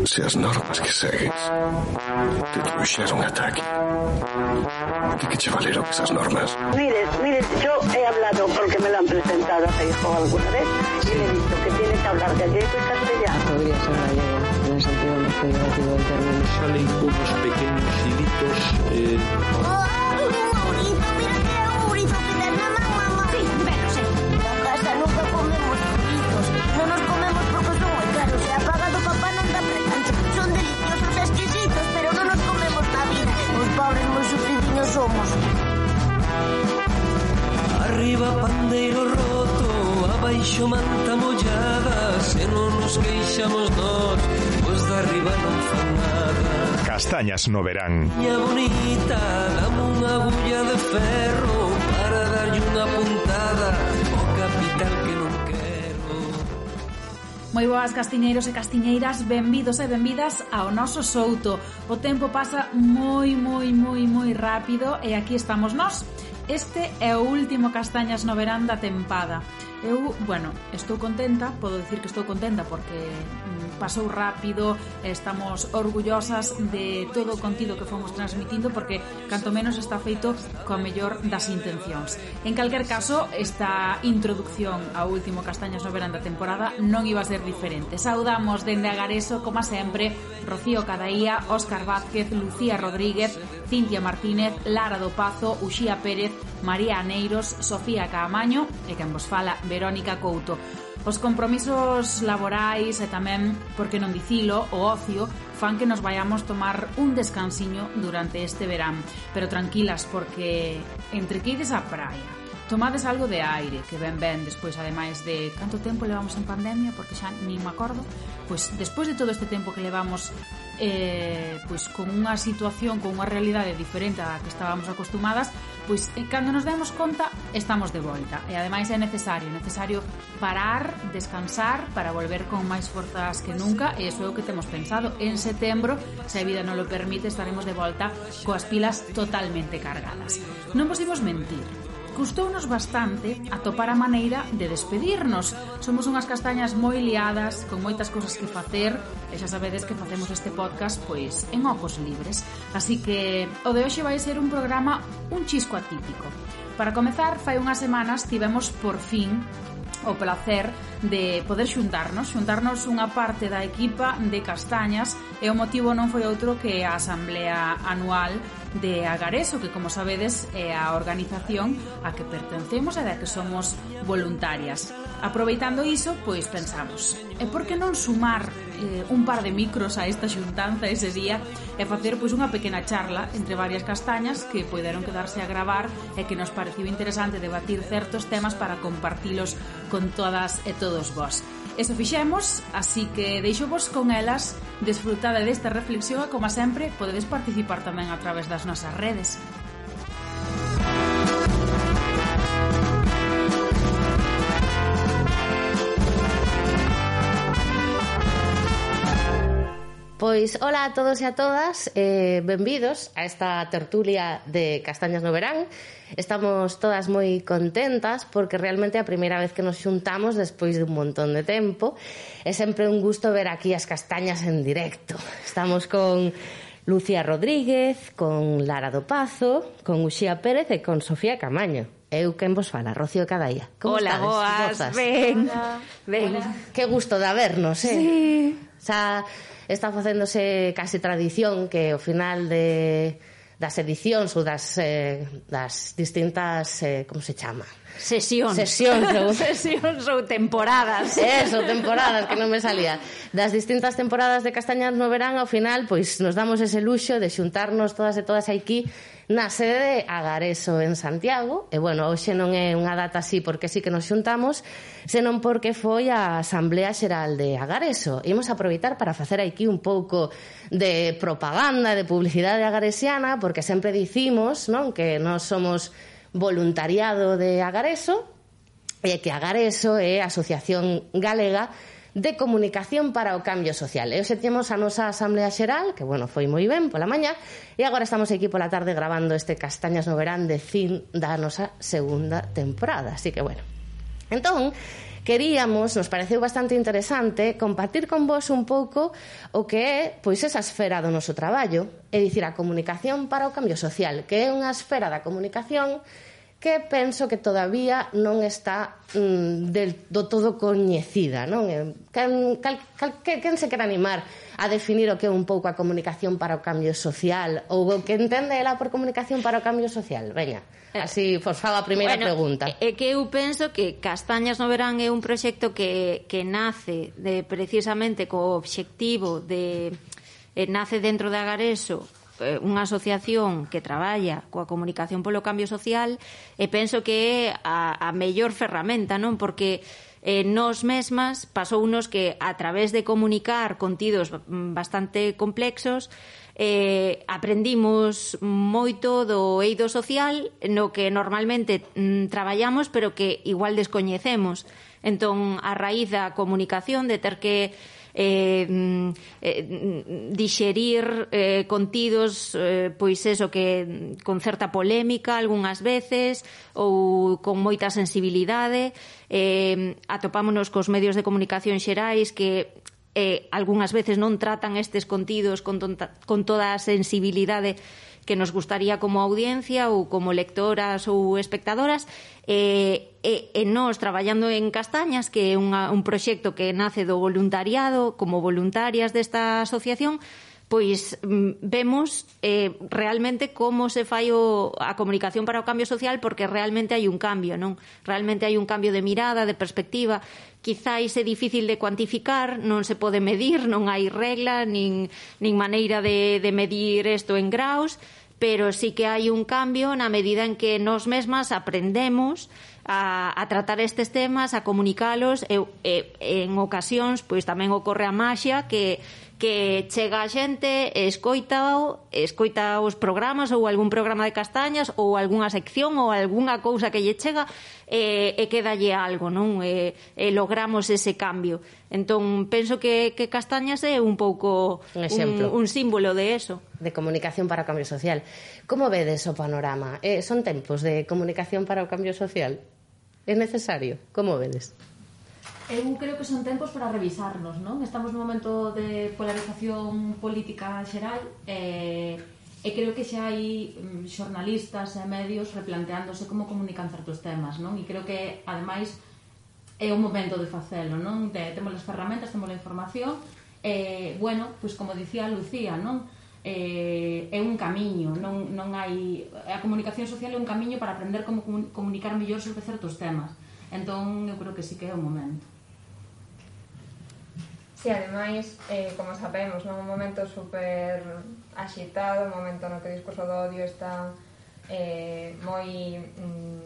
se as normas que segues te trouxeron ata aquí, de que che valeron esas normas? Mire, yo he hablado porque me lo han presentado a Feijóo alguna vez y le he dicho que tiene que hablar gallego y castellano. Podría ser gallego, en el sentido más figurativo del término. Salen unos pequeños hilitos. Ourizo que ten na man, mamá. Sí, pero sí. Na casa nunca comemos ourizos. Non nos comemos porque son moi caros. E a paga do papá non dá precancho. Son deliciosos e exquisitos, pero non nos comemos na vida. Os pobres moi sufridiños somos. Arriba pandeiro roto, abaixo manta mollada. Se non nos queixamos nós, os de arriba non fan nada. Castañas no verán. Miña bonita, dame unha agulla de ferro para darlle unha puntada ao capital que non quero. Moi boas, castiñeiros e castiñeiras, benvidos e benvidas ao noso souto. O tempo pasa moi rápido e aquí estamos nós. Este é o último Castañas no verán da tempada. Eu, estou contenta, podo dicir que estou contenta porque pasou rápido, estamos orgullosas de todo o contido que fomos transmitindo porque canto menos está feito coa mellor das intencións. En calquer caso, esta introducción ao último Castañas no verán da temporada non iba a ser diferente. Saudamos dende Agareso, como sempre, Rocío Cadaía, Óscar Vázquez, Lucía Rodríguez, Cintia Martínez, Lara do Pazo, Uxía Pérez, María Aneiros, Sofía Caamaño e quen vos fala, Verónica Couto. Os compromisos laborais e tamén, por que non dicilo, o ocio fan que nos vayamos tomar un descansiño durante este verán. Pero tranquilas, porque entre que ides á praia, tomades algo de aire, que ben, despois, ademais de canto tempo levamos en pandemia, porque xa nin me acordo, pois despois de todo este tempo que levamos pois con unha situación, con unha realidade diferente á que estábamos acostumadas, pois cando nos demos conta estamos de volta e ademais é necesario parar, descansar para volver con máis forzas que nunca e iso é o que temos pensado. En setembro, se a vida non lo permite, estaremos de volta coas pilas totalmente cargadas. Non vos imos mentir, custounos bastante atopar a maneira de despedirnos. Somos unhas castañas moi liadas, con moitas cousas que facer, e xa sabedes que facemos este podcast pois en ocos libres. Así que o de hoxe vai ser un programa un chisco atípico. Para comezar, fai unhas semanas tivemos por fin o placer de poder xuntarnos unha parte da equipa de Castañas e o motivo non foi outro que a asamblea anual de Agareso, que como sabedes é a organización a que pertencemos e da que somos voluntarias. Aproveitando iso, pois pensamos, e por que non sumar un par de micros a esta xuntanza ese día e facer pois unha pequena charla entre varias castañas que poideron quedarse a gravar e que nos pareciu interesante debatir certos temas para compartilos con todas e todos vós. Eso fixemos, así que deixo-vos con elas, desfrutade desta reflexión e, como sempre, podedes participar tamén a través das nosas redes. Pois, hola a todos e a todas, benvidos a esta tertulia de Castañas no verán. Estamos todas moi contentas porque realmente é a primeira vez que nos xuntamos despois de un montón de tempo. É sempre un gusto ver aquí as castañas en directo. Estamos con Lucía Rodríguez, con Lara do Pazo, con Uxía Pérez e con Sofía Caamaño. Eu quen vos fala, Rocío Cadaía. Como hola, estades? boas, ben. Que gusto de vernos, Sí. Xa está facéndose case tradición que ao final das edicións ou das distintas, como se chama? Sesións ou temporadas. Eso, temporadas, que non me salía. Das distintas temporadas de Castañas no verán, ao final, pois nos damos ese luxo de xuntarnos todas e todas aquí na sede de Agareso en Santiago. E, hoxe non é unha data así porque sí que nos xuntamos, senón porque foi a Asamblea Xeral de Agareso. Imos aproveitar para facer aquí un pouco de propaganda, de publicidade agaresiana, porque sempre dicimos, non, que nós somos voluntariado de Agareso e que Agareso é a Asociación Galega de Comunicación para o Cambio Social. E hoxe temos a nosa Asamblea Xeral, que, foi moi ben pola mañá, e agora estamos aquí pola tarde grabando este Castañas no verán de fin da nosa segunda temporada. Así que, Entón, nos pareceu bastante interesante compartir con vos un pouco o que é pois esa esfera do noso traballo, é dicir, a comunicación para o cambio social, que é unha esfera da comunicación que penso que todavía non está do todo coñecida, non? Quen se quer animar a definir o que é un pouco a comunicación para o cambio social ou o que entende ela por comunicación para o cambio social? Veña, así vos fago a primeira pregunta. É que eu penso que Castañas no Verán é un proxecto que nace precisamente co obxectivo de nace dentro de Agareso, unha asociación que traballa coa comunicación polo cambio social, e penso que é a mellor ferramenta, non? Porque nós mesmas pasounos que a través de comunicar contidos bastante complexos aprendimos moito do eido social no que normalmente traballamos pero que igual descoñecemos. Entón, a raíz da comunicación, de ter que dixerir contidos pois eso, que con certa polémica algunhas veces ou con moita sensibilidade, atopámonos cos medios de comunicación xerais que algunhas veces non tratan estes contidos con toda a sensibilidade que nos gustaría como audiencia ou como lectoras ou espectadoras, e nós traballando en Castañas, que é un proxecto que nace do voluntariado, como voluntarias desta asociación, pois vemos realmente como se fai a comunicación para o cambio social, porque realmente hai un cambio, non? Realmente hai un cambio de mirada, de perspectiva. Quizáis é difícil de cuantificar, non se pode medir, non hai regla, nin maneira de medir isto en graus, pero sí que hai un cambio na medida en que nós mesmas aprendemos a tratar estes temas, a comunicalos, e en ocasións pois tamén ocorre a maxia que chega a xente, escoita os programas ou algún programa de Castañas ou algunha sección ou algunha cousa que lle chega e quedalle algo, non? E logramos ese cambio. Entón, penso que Castañas é un pouco un símbolo de eso. De comunicación para o cambio social. Como vedes o panorama? Son tempos de comunicación para o cambio social? É necesario? Como vedes? Eu creo que son tempos para revisarnos, non? Estamos nun momento de polarización política xeral e creo que xa hai xornalistas e medios replanteándose como comunican certos temas, non? E creo que, ademais, é o momento de facelo, non? Temos as ferramentas, temos a información e, bueno, pois como dicía Lucía, non? É un camiño, non hai... A comunicación social é un camiño para aprender como comunicar mellor sobre certos temas. Entón, eu creo que sí que é o momento. Sí, ademais, como sabemos, non? Un momento super axitado, un momento no que o discurso do odio está moi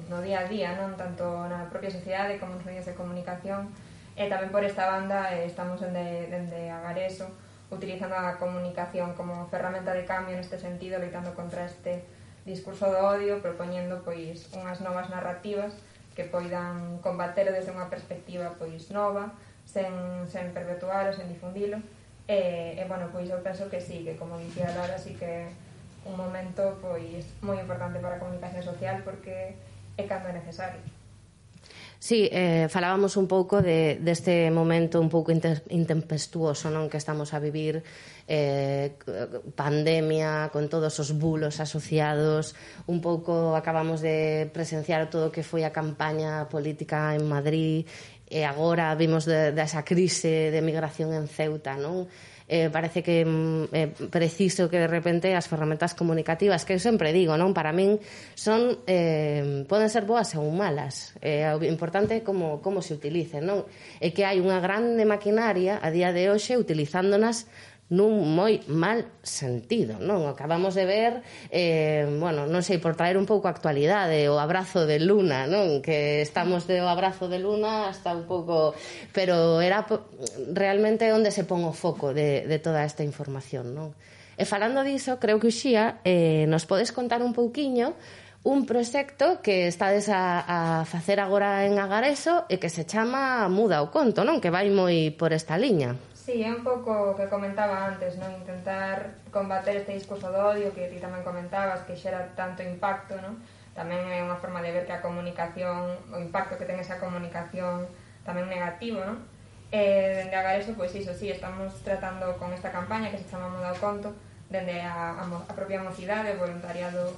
no día a día, non? Tanto na propia sociedade como nos medios de comunicación, e tamén por esta banda estamos dende Agareso utilizando a comunicación como ferramenta de cambio neste sentido, loitando contra este discurso do odio, propoñendo pois unhas novas narrativas que poidan combatelo desde unha perspectiva pois nova, sen perpetualo, sen difundilo, e bueno, pois eu penso que sí, que como dicía Lara, sí que é un momento pois moi importante para a comunicación social, porque é cando é necesario. Sí, falábamos un pouco deste momento un pouco intempestuoso, non, que estamos a vivir, pandemia, con todos os bulos asociados, un pouco acabamos de presenciar todo o que foi a campaña política en Madrid, e agora vimos desa crise de migración en Ceuta, non? Parece que é preciso que de repente as ferramentas comunicativas, que eu sempre digo, non, para min son poden ser boas ou malas, o importante é como se utilicen, non? É que hai unha grande maquinaria a día de hoxe utilizándonas nun moi mal sentido, non? Acabamos de ver, bueno, non sei, por traer un pouco a actualidade, o abrazo de Luna, non? Que estamos do abrazo de Luna hasta un pouco... Pero era realmente onde se pon o foco de toda esta información, non? E falando diso, creo que Uxía nos podes contar un pouquiño un proxecto que estades a facer agora en Agareso e que se chama Muda o Conto, non? Que vai moi por esta liña. Sí, é un pouco o que comentaba antes, non? Intentar combater este discurso de odio que ti tamén comentabas, que xera tanto impacto, non? Tamén é unha forma de ver que a comunicación, o impacto que ten esa comunicación tamén negativo, non? Dende Agareso, pois iso, sí, estamos tratando con esta campaña que se chama Muda o Conto, dende a propia mocidade, o voluntariado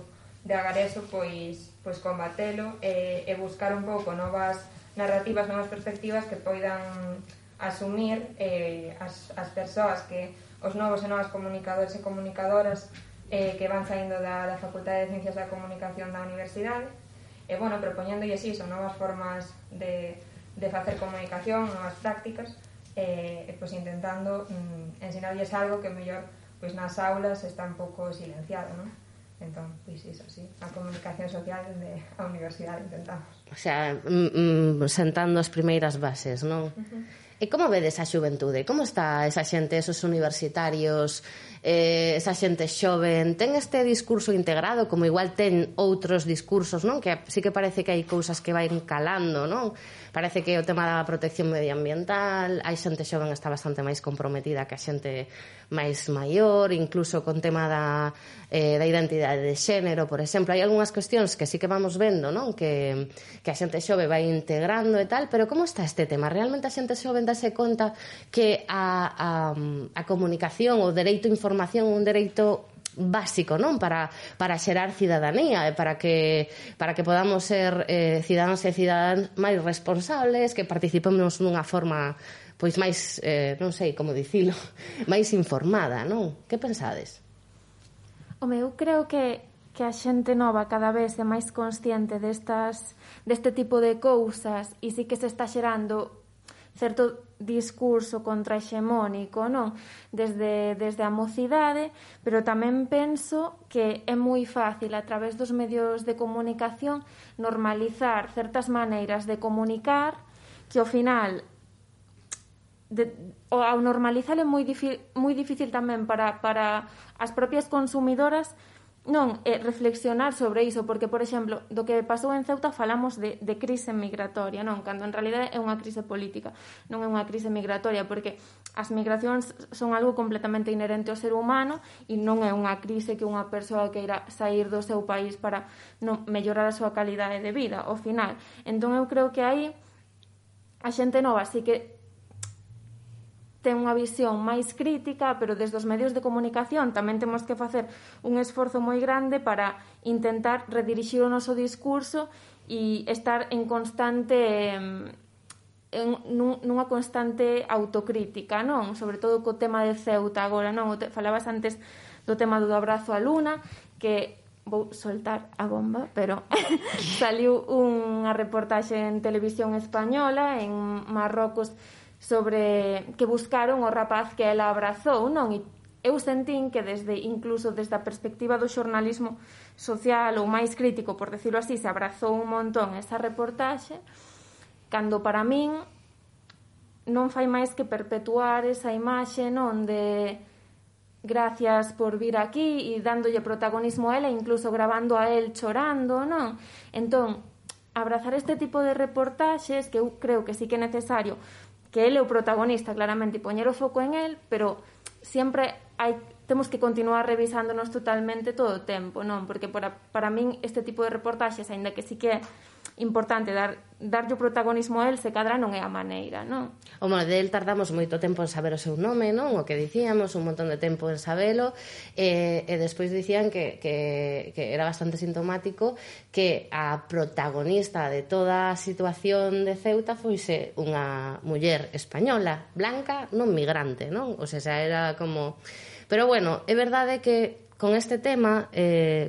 de Agareso, pois combatelo e buscar un pouco novas narrativas, novas perspectivas que poidan asumir as persoas que os novos e novas comunicadores e comunicadoras que van saindo da Facultade de Ciencias da Comunicación da Universidade e, bueno, propoñéndolles iso, novas formas de facer comunicación, novas prácticas e pois intentando ensinarlles algo que mellor pois nas aulas está un pouco silenciado, non? Entón, pois iso, sí, a comunicación social dende a universidade intentamos. O sea, sentando as primeiras bases, non? E como vedes a xuventude? Como está esa xente, esos universitarios, esa xente xoven? Ten este discurso integrado, como igual ten outros discursos, non? Que sí que parece que hai cousas que vai calando, non? Parece que o tema da protección medioambiental, hai xente xoven que está bastante máis comprometida que a xente máis maior, incluso con tema da identidade de xénero, por exemplo. Hai algunhas cuestións que sí que vamos vendo, non? Que a xente xove vai integrando e tal, pero como está este tema? Realmente a xente xoven dase conta que a comunicación, o dereito a información, un dereito básico, non? Para xerar cidadanía e para que podamos ser cidadáns e cidadáns máis responsables, que participemos dunha forma pois máis, non sei como dicilo, máis informada, non? Que pensades? Home, eu creo que a xente nova cada vez é máis consciente deste tipo de cousas e sí que se está xerando certo discurso contrahexemónico, non? Desde a mocidade, pero tamén penso que é moi fácil a través dos medios de comunicación normalizar certas maneiras de comunicar que ao final ao normalizar é moi difícil tamén para as propias consumidoras non reflexionar sobre iso, porque, por exemplo, do que pasou en Ceuta falamos de crise migratoria, non? Cando en realidade é unha crise política, non é unha crise migratoria, porque as migracións son algo completamente inherente ao ser humano e non é unha crise que unha persoa queira sair do seu país para non mellorar a súa calidade de vida, ao final. Entón eu creo que aí a xente nova sí que ten unha visión máis crítica, pero desde os medios de comunicación tamén temos que facer un esforzo moi grande para intentar redirixir o noso discurso e estar en constante nunha constante autocrítica, non? Sobre todo co tema de Ceuta agora, non? Falabas antes do tema do abrazo á luna, que vou soltar a bomba, pero saliu unha reportaxe en televisión española en Marrocos sobre que buscaron o rapaz que ela abrazou, non? E eu sentín que incluso desde a perspectiva do xornalismo social ou máis crítico, por decirlo así, se abrazou un montón esa reportaxe, cando para min non fai máis que perpetuar esa imaxe, non? De gracias por vir aquí e dándolle protagonismo a ela, incluso grabando a él chorando, non? Entón, abrazar este tipo de reportaxes, que eu creo que sí que é necesario que ele é o protagonista, claramente, e poñer o foco en el, pero sempre temos que continuar revisándonos totalmente todo o tempo, non? Porque para min este tipo de reportaxes, aínda que sí que é importante darlle o protagonismo a él, se cadra non é a maneira, non? O del tardamos moito tempo en saber o seu nome, non? O que dicíamos, un montón de tempo en sabelo, e despois dicían que era bastante sintomático que a protagonista de toda a situación de Ceuta foise unha muller española, blanca, non migrante, non? O sea, era como... Pero bueno, é verdade que con este tema,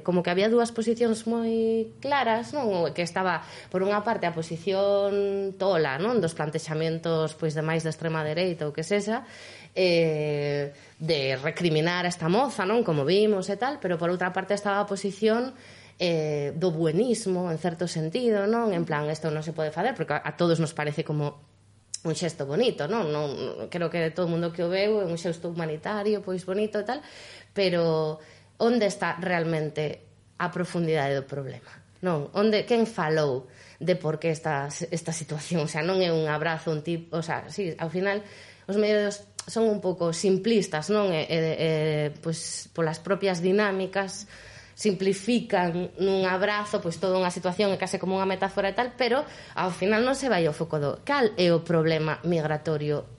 como que había dúas posicións moi claras, non? Que estaba, por unha parte, a posición tola, non? Dos plantexamentos pois de máis de extrema dereita ou que sexa, de recriminar a esta moza, non? Como vimos e tal, pero por outra parte estaba a posición do buenismo, en certo sentido, non? En plan, isto non se pode facer, porque a todos nos parece como un xesto bonito, non? Creo que todo o mundo que o veu é un xesto humanitario, pois bonito e tal, pero onde está realmente a profundidade do problema? Non? Quen falou de por que esta situación? O sea, non é un abrazo, un tipo... O sea, sí, ao final, os medios son un pouco simplistas, non? Pois, polas propias dinámicas, simplifican nun abrazo pois toda unha situación é case como unha metáfora e tal, pero ao final non se vai ao foco do cal é o problema migratorio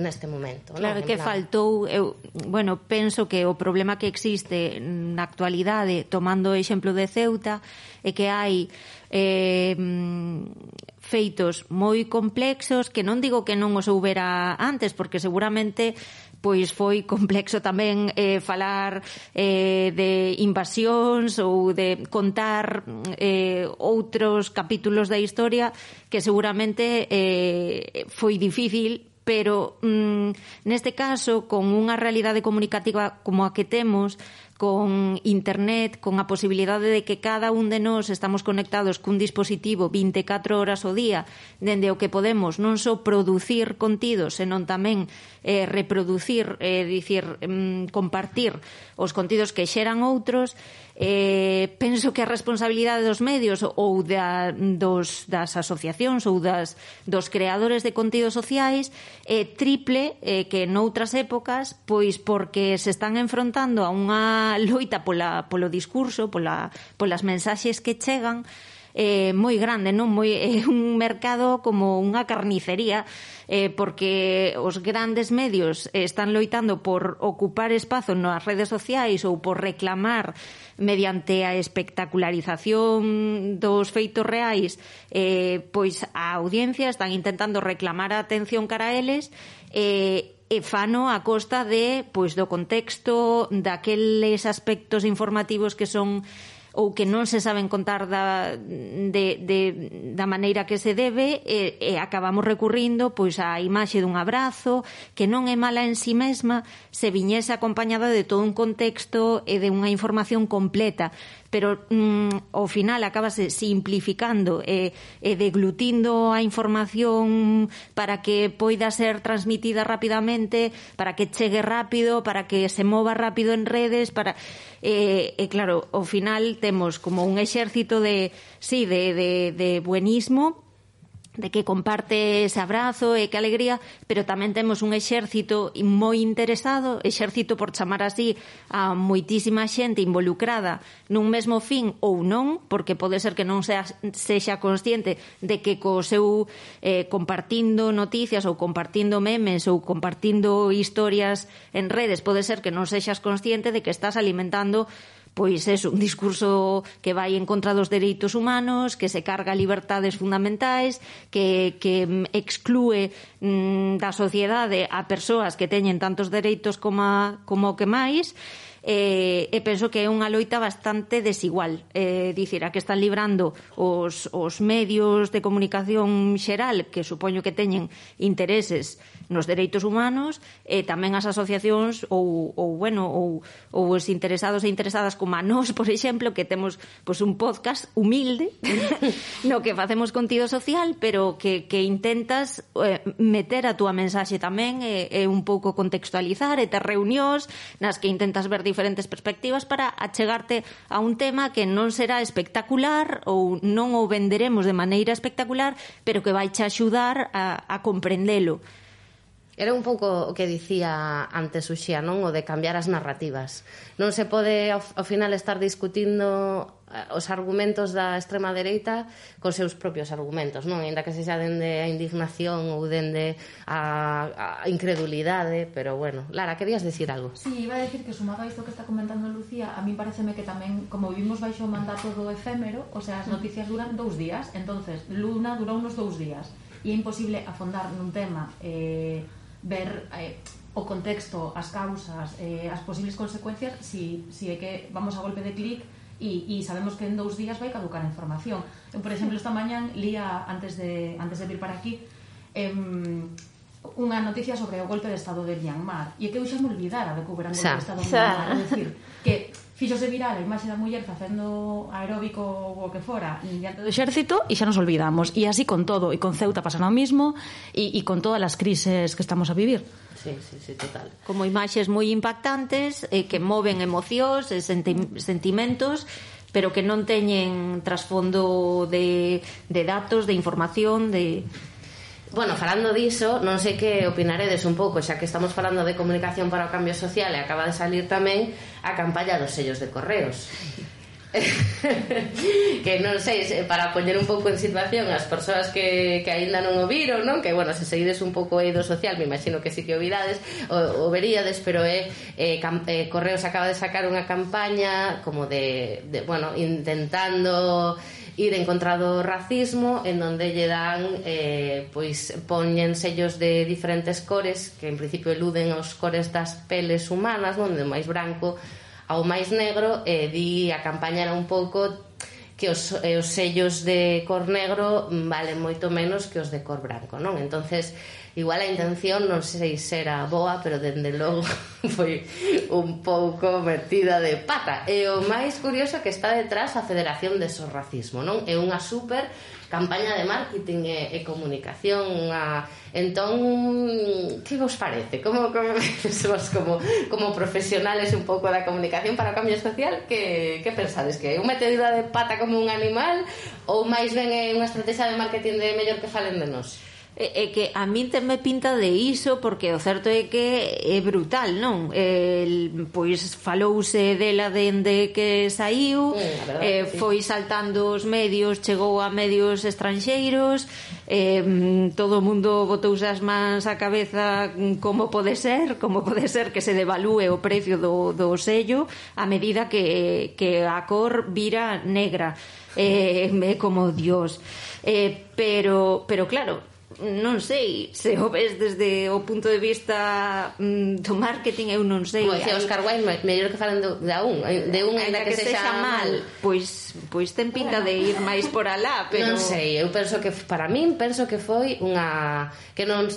neste momento. Claro, que faltou, eu, bueno, penso que o problema que existe na actualidade, tomando o exemplo de Ceuta, é que hai feitos moi complexos que non digo que non os houbera antes, porque seguramente pois foi complexo tamén falar de invasións ou de contar outros capítulos da historia que seguramente foi difícil, pero neste caso, con unha realidade comunicativa como a que temos, con internet, con a posibilidade de que cada un de nós estamos conectados cun dispositivo 24 horas ao día, dende o que podemos non só producir contidos, senón tamén reproducir, compartir os contidos que xeran outros, penso que a responsabilidade dos medios ou das asociacións ou dos creadores de contidos sociais é triple que noutras épocas, pois porque se están enfrontando a unha loita polo discurso, polas mensaxes que chegan, moi grande, non? É un mercado como unha carnicería, porque os grandes medios están loitando por ocupar espazo nas redes sociais ou por reclamar mediante a espectacularización dos feitos reais, pois a audiencia están intentando reclamar a atención cara a eles, e fano a costa de, pois, do contexto, daqueles aspectos informativos que son ou que non se saben contar da maneira que se debe, e acabamos recurrindo pois á imaxe dun abrazo que non é mala en si mesma se viñese acompañada de todo un contexto e de unha información completa, pero ao final acabase simplificando e deglutindo a información para que poida ser transmitida rapidamente, para que chegue rápido, para que se mova rápido en redes, claro, ao final temos como un exército de buenismo, de que comparte ese abrazo e que alegría, pero tamén temos un exército moi interesado, exército por chamar así a moitísima xente involucrada nun mesmo fin ou non, porque pode ser que non sexa consciente de que co seu compartindo noticias ou compartindo memes ou compartindo historias en redes, pode ser que non sexas consciente de que estás alimentando pois é un discurso que vai en contra dos dereitos humanos, que se carga libertades fundamentais, que exclúe da sociedade a persoas que teñen tantos dereitos como que máis, e penso que é unha loita bastante desigual. Dicir, a que están librando os medios de comunicación xeral, que supoño que teñen intereses nos dereitos humanos, e tamén as asociacións ou os interesados e interesadas como a nós, por exemplo, que temos pois un podcast humilde no que facemos contido social, pero que intentas meter a túa mensaxe tamén e un pouco contextualizar, e ter reunións nas que intentas ver diferentes perspectivas para achegarte a un tema que non será espectacular ou non o venderemos de maneira espectacular, pero que vai che axudar a comprendelo. Era un pouco o que dicía antes Uxía, non? O de cambiar as narrativas. Non se pode ao final estar discutindo os argumentos da extrema dereita cos seus propios argumentos, non? Ainda que sexa dende a indignación ou dende a incredulidade, pero bueno. Lara, querías decir algo? Sí, iba a decir que sumado a isto que está comentando Lucía, a mí pareceme que tamén, como vivimos baixo o mandato do efémero, o sea, as noticias duran 2 días, entonces Luna durou unos 2 días, e é imposible afondar nun tema, ver o contexto, as causas, as posibles consecuencias, si é que vamos a golpe de clic e sabemos que en 2 días vai caducar a información. Eu, por exemplo, esta mañán lía, antes de vir para aquí, unha noticia sobre o golpe de estado de Myanmar, e é que eu xa me olvidara de que houbera un golpe de estado de Myanmar, é dicir, que fíxose viral a imaxe da muller facendo aeróbico ou o que fora diante do exército e xa nos olvidamos, e así con todo, e con Ceuta pasa o mismo, e con todas as crises que estamos a vivir. Sí, total. Como imaxes moi impactantes que moven emocións e sentimentos, pero que non teñen trasfondo de datos, de información, de... Bueno, falando diso, non sei que opinaredes un pouco, xa que estamos falando de comunicación para o cambio social e acaba de salir tamén a campaña dos sellos de correos. Que non sei, para poñer un pouco en situación as persoas que aínda non o viron, non? Que, bueno, se seguides un pouco eido social, me imagino que sí que o virades, o veríades, pero Correos acaba de sacar unha campaña como de bueno, intentando ir en contra do racismo, en donde lle dan pois poñen sellos de diferentes cores que en principio eluden os cores das peles humanas, non? De máis branco ao máis negro, di a campaña era un pouco que os sellos de cor negro valen moito menos que os de cor branco, non? Entonces, igual a intención non sei se era boa, pero dende logo foi un pouco metida de pata. E o máis curioso que está detrás a Federación de Sorracismo, non? É unha super campaña de marketing e comunicación. Entón, que vos parece? Como profesionales un pouco da comunicación para o cambio social, que pensades? Que é unha metedura de pata como un animal ou máis ben é unha estrategia de marketing de mellor que falen de nós? É que a min me pinta de iso, porque o certo é que é brutal, non? Pois falouse dela dende que saiu, foi saltando os medios, chegou a medios estranxeiros, todo o mundo botouse as mans á cabeza. Como pode ser que se devalúe o precio do sello a medida que a cor vira negra? É como Dios. Pero claro, non sei, se o ves desde o punto de vista do marketing, eu non sei. Como dicía Óscar Wilde, mellor que falen de un ainda que sexa mal. Pois ten pinta de ir máis por alá, pero non sei, eu penso que para min que foi unha que non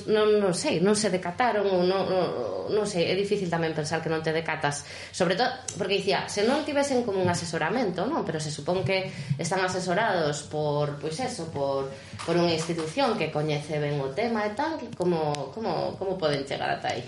sei, non se decataron ou non sei, é difícil tamén pensar que non te decatas, sobre todo porque dicía, se non tivesen como un asesoramento, non, pero se supón que están asesorados por, pois eso, por unha institución que coñece ben o tema e tal, como poden chegar ata aí?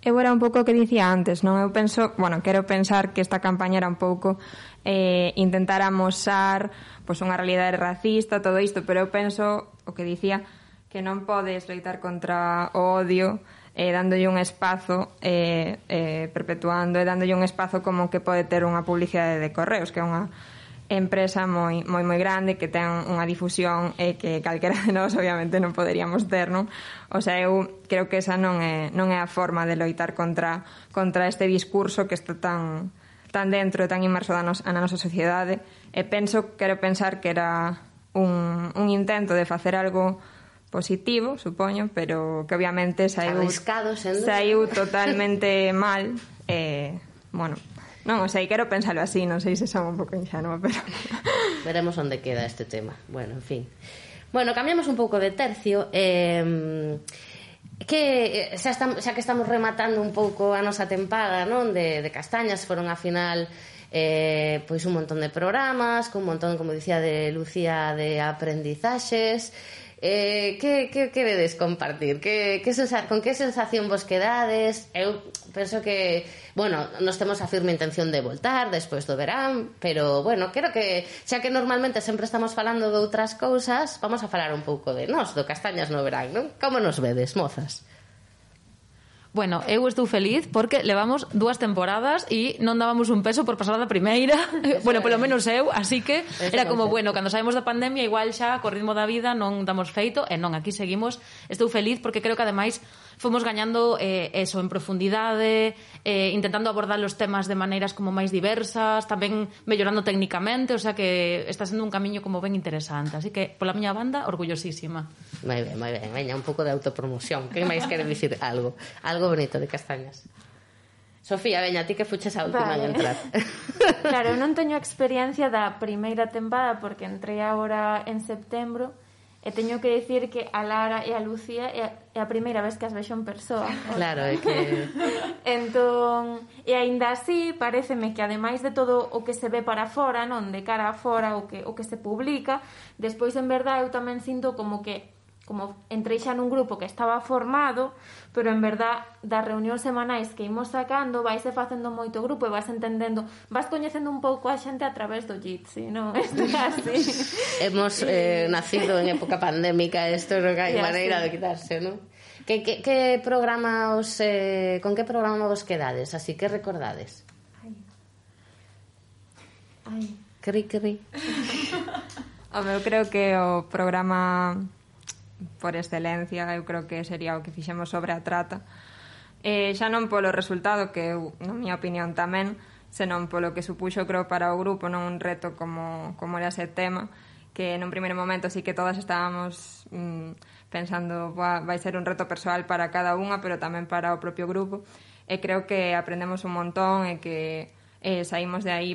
Eu era un pouco o que dicía antes, non? Eu penso, quero pensar que esta campaña era un pouco intentar amosar pois unha realidade racista, todo isto, pero eu penso o que dicía, que non podes loitar contra o odio dándolle un espazo, perpetuando e dándolle un espazo como que pode ter unha publicidade de Correos, que é unha empresa moi grande, que ten unha difusión que calquera de nós obviamente non poderíamos ter, non? O sea, eu creo que esa non é a forma de loitar contra este discurso que está tan dentro e tan inmerso na nosa sociedade. E quero pensar que era un intento de facer algo positivo, supoño, pero que obviamente saiu totalmente mal. Bueno, non, quero pensarlo así, non sei se son un pouco ingenua, pero veremos onde queda este tema. Bueno, en fin. Bueno, cambiamos un pouco de tercio. Que xa que estamos rematando un pouco a nosa tempada, non, de castañas, foron a final pois un montón de programas, con un montón, como dicía de Lucía, de aprendizaxes. Que vedes compartir? Con que sensación vos quedades? Eu penso que, bueno, nos temos a firme intención de voltar despois do verán, pero, bueno, creo que xa que normalmente sempre estamos falando de outras cousas, vamos a falar un pouco de nós, do Castañas no verán, non? Como nos vedes, mozas? Bueno, eu estou feliz porque levamos 2 temporadas e non dábamos un peso por pasar da primeira. Bueno, polo menos eu, así que era como, bueno, cando saímos da pandemia igual xa co ritmo da vida non damos feito, e non, aquí seguimos. Estou feliz porque creo que ademais fomos gañando eso en profundidade, intentando abordar os temas de maneiras como máis diversas, tamén mellorando técnicamente, o sea que está sendo un camiño como ben interesante, así que pola miña banda, orgullosísima. Moi ben, veña, un pouco de autopromoción. Que máis quere dicir algo bonito de Castañas? Sofía, veña, ti que fuches a última en entrar. Claro, eu non teño experiencia da primeira tempada porque entrei agora en setembro. E teño que dicir que a Lara e a Lucía é a primeira vez que as vexo en persoa. Claro, é que... Entón, e aínda así, paréceme que ademais de todo o que se ve para fora, non, de cara a fora, o que se publica, despois en verdade eu tamén sinto como que como entrei xa nun grupo que estaba formado, pero en verdad das reunións semanais que imos sacando vaise facendo moito grupo e vas entendendo, vas coñecendo un pouco a xente a través do Jitsi, non? Isto é así. Hemos nacido en época pandémica, isto non hai maneira de quitarse, non? Que programa con que programa vos quedades? Así que recordades? Ai. Cri. Eu creo que o programa por excelencia eu creo que sería o que fixemos sobre a trata, xa non polo resultado, que eu, na miña opinión tamén, senón polo que supuxo, creo, para o grupo, non un reto como era ese tema, que nun primeiro momento sí que todas estábamos pensando, vai ser un reto persoal para cada unha, pero tamén para o propio grupo, e creo que aprendemos un montón e que saímos de aí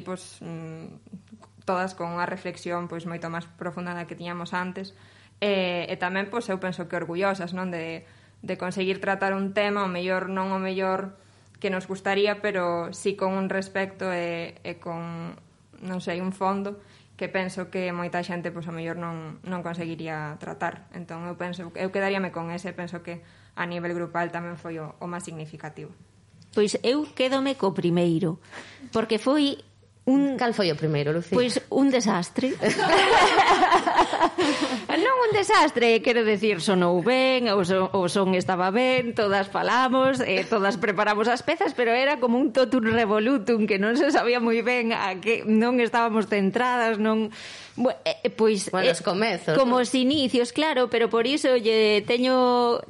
todas con unha reflexión pois moito máis profunda da que tiñamos antes, e tamén pois eu penso que orgullosas, non, de conseguir tratar un tema o mellor non o mellor que nos gustaría, pero sí con un respecto e con, non sei, un fondo que penso que moita xente pois o mellor non conseguiría tratar. Entón eu quedaríame con ese, penso que a nivel grupal tamén foi o máis significativo. Pois eu quédome co primeiro, porque foi Cal foi o primeiro, Lucía? Pois un desastre. Non un desastre, quero decir, sonou ben, o son estaba ben, todas falamos, todas preparamos as pezas, pero era como un totum revolutum que non se sabía moi ben a que non estábamos centradas, non... Pois, os comezos, como os inicios, claro, pero por iso lle teño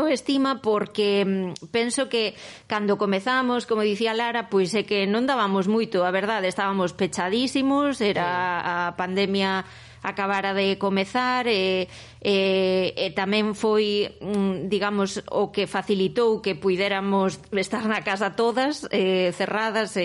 estima, porque penso que cando comezamos, como dicía Lara, pois é que non dábamos moito, a verdade, estábamos pechadísimos, era a pandemia acabara de comezar, e tamén foi, digamos, o que facilitou que puidéramos estar na casa todas, cerradas,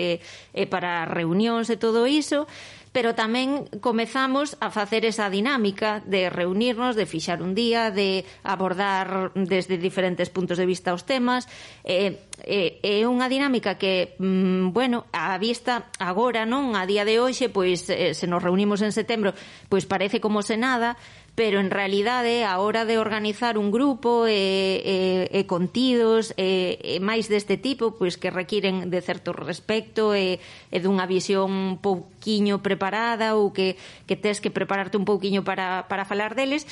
para reunións e todo iso, pero tamén comezamos a facer esa dinámica de reunirnos, de fixar un día, de abordar desde diferentes puntos de vista os temas. É unha dinámica que, bueno, a vista agora, non, a día de hoxe, pois se nos reunimos en setembro, pois parece como se nada, pero en realidade a hora de organizar un grupo e contidos máis deste tipo, pois que requiren de certo respecto e dunha visión un pouquiño preparada, ou que tes que prepararte un pouquiño para falar deles,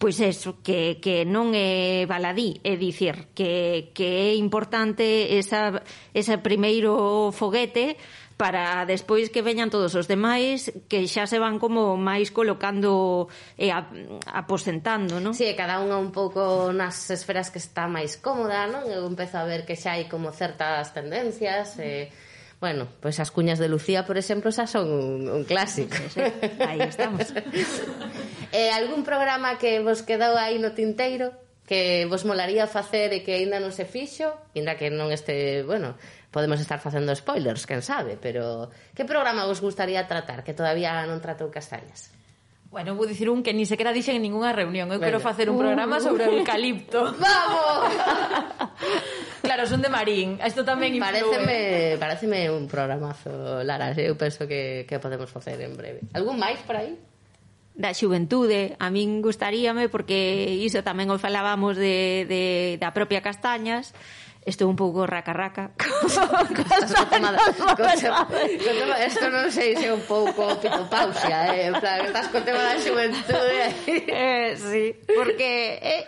pois eso, que non é baladí, é dicir, que é importante ese primeiro foguete para despois que veñan todos os demais, que xa se van como máis colocando e aposentando, non? Sí, cada unha un pouco nas esferas que está máis cómoda, non? Eu empezo a ver que xa hai como certas tendencias, bueno, pois as cuñas de Lucía, por exemplo, xa son un clásico. Sí, aí estamos. Algún programa que vos quedou aí no tinteiro, que vos molaría facer e que aínda non se fixo, ainda que non este, bueno, podemos estar facendo spoilers, quen sabe, pero que programa vos gustaría tratar que todavía non tratou Castañas? Bueno, vou dicir un que ni sequera dixen en ninguna reunión. Eu quero facer un programa sobre o eucalipto. ¡Vamos! Claro, son de Marín. Isto tamén influe. Pareceme un programazo, Lara. Eu penso que podemos facer en breve. Algún máis por aí? Da xuventude, a min gustaríame, porque iso tamén o falábamos da propia Castañas. Estou un pouco raca-raca. Isto non sei se é un pouco pitopausia, en plan, estás co tema da xuventude. Sí, porque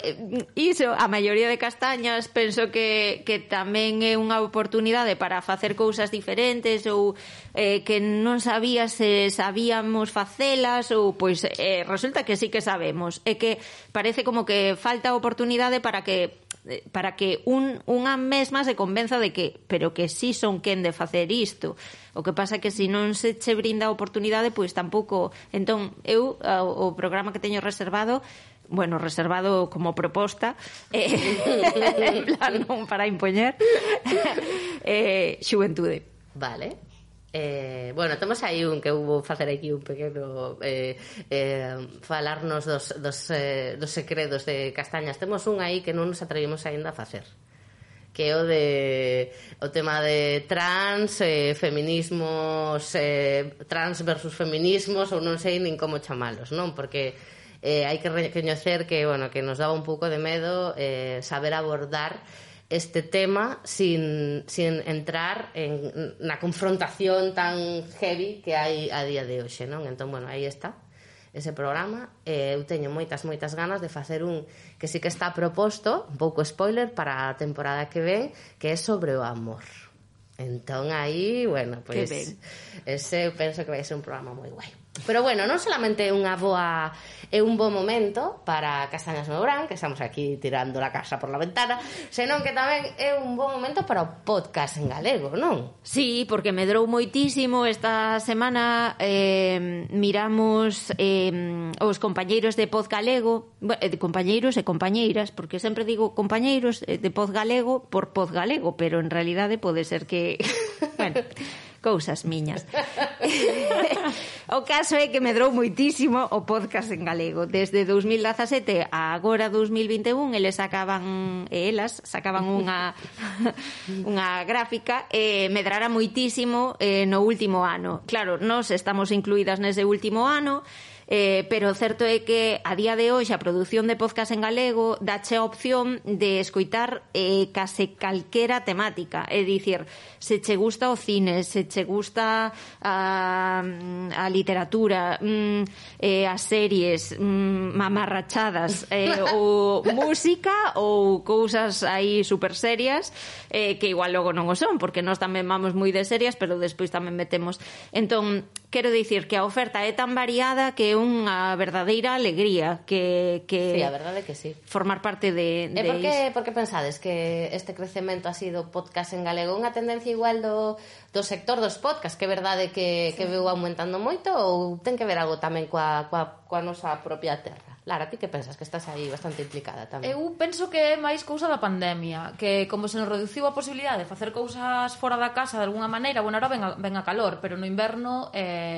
iso, a maioría de Castañas penso que tamén é unha oportunidade para facer cousas diferentes, ou que non sabía se sabíamos facelas, ou pois resulta que sí que sabemos, e que parece como que falta oportunidade para que unha mesma se convenza de que, pero que sí son quen de facer isto. O que pasa que se non se che brinda a oportunidade, pois tampouco. Entón, eu o programa que teño reservado como proposta, en plan non para impoñer, xuventude. Vale. Bueno, temos aí un que vou facer aquí un pequeno falarnos dos segredos de Castañas. Temos un aí que non nos atrevimos aínda a facer, que é o tema de trans, feminismos, trans versus feminismos, ou non sei nin como chamalos, non? Porque hai que recoñecer que, bueno, que nos daba un pouco de medo saber abordar este tema sin entrar na confrontación tan heavy que hai a día de hoxe, non? Entón, bueno, aí está ese programa. Eu teño moitas ganas de facer un que sí que está proposto, un pouco spoiler para a temporada que ven, que é sobre o amor. Entón aí, bueno, pois ese eu penso que vai ser un programa moi guai. Pero bueno, non solamente é un bo momento para Castañas no Verán, que estamos aquí tirando la casa por la ventana, senón que tamén é un bo momento para o podcast en galego, non? Sí, porque medrou moitísimo. Esta semana miramos os compañeiros de Pod Galego, compañeiros e compañeiras, porque sempre digo compañeiros de Pod Galego por Pod Galego, pero en realidade pode ser que... bueno... cousas miñas. O caso é que medrou moitísimo o podcast en galego. Desde 2017 a agora 2021 elas sacaban unha gráfica e medrara moitísimo no último ano. Claro, nós estamos incluídas nese último ano, pero o certo é que a día de hoxe a produción de podcast en galego dache a opción de escoitar case calquera temática, é dicir, se che gusta o cine, se che gusta a literatura, as series, mamarrachadas, ou música ou cousas aí super serias, que igual logo non o son, porque nós tamén vamos moi de serias, pero despois tamén metemos. Entón, quero dicir que a oferta é tan variada que é unha verdadeira alegría que sí, a verdade é que sí. Formar parte de por que pensades que este crecemento ha sido podcast en galego? Unha tendencia igual do sector dos podcasts, que é verdade que veu aumentando moito, ou ten que ver algo tamén coa nosa propia terra? Lara, ti que pensas? Que estás aí bastante implicada tamén. Eu penso que é máis cousa da pandemia, que como se nos reduciu a posibilidade de facer cousas fora da casa de alguna maneira, bueno, ahora ven a calor, pero no inverno,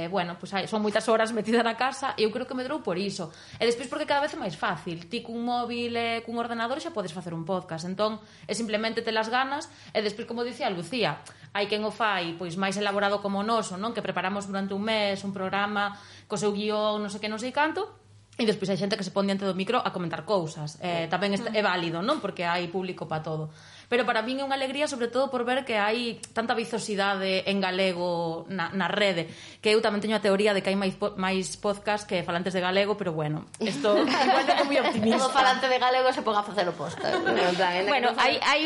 bueno, pues son moitas horas metida na casa, e eu creo que medrou por iso. E despois porque cada vez é máis fácil. Ti cun móvil e cun ordenador xa podes facer un podcast, entón é simplemente te las ganas, e despois, como dicía Lucía, hai quen o fai pois máis elaborado como o noso, non? Que preparamos durante un mes un programa co seu guión, non sei que, non sei canto, e despois hai xente que se pon diante do micro a comentar cousas. Tamén é válido, non? Porque hai público para todo. Pero para min é unha alegría, sobre todo por ver que hai tanta vizosidade en galego na rede, que eu tamén teño a teoría de que hai máis podcast que falantes de galego, pero bueno, isto igual é moi optimista. Todo falante de galego se ponga a facer o podcast. Bueno, hai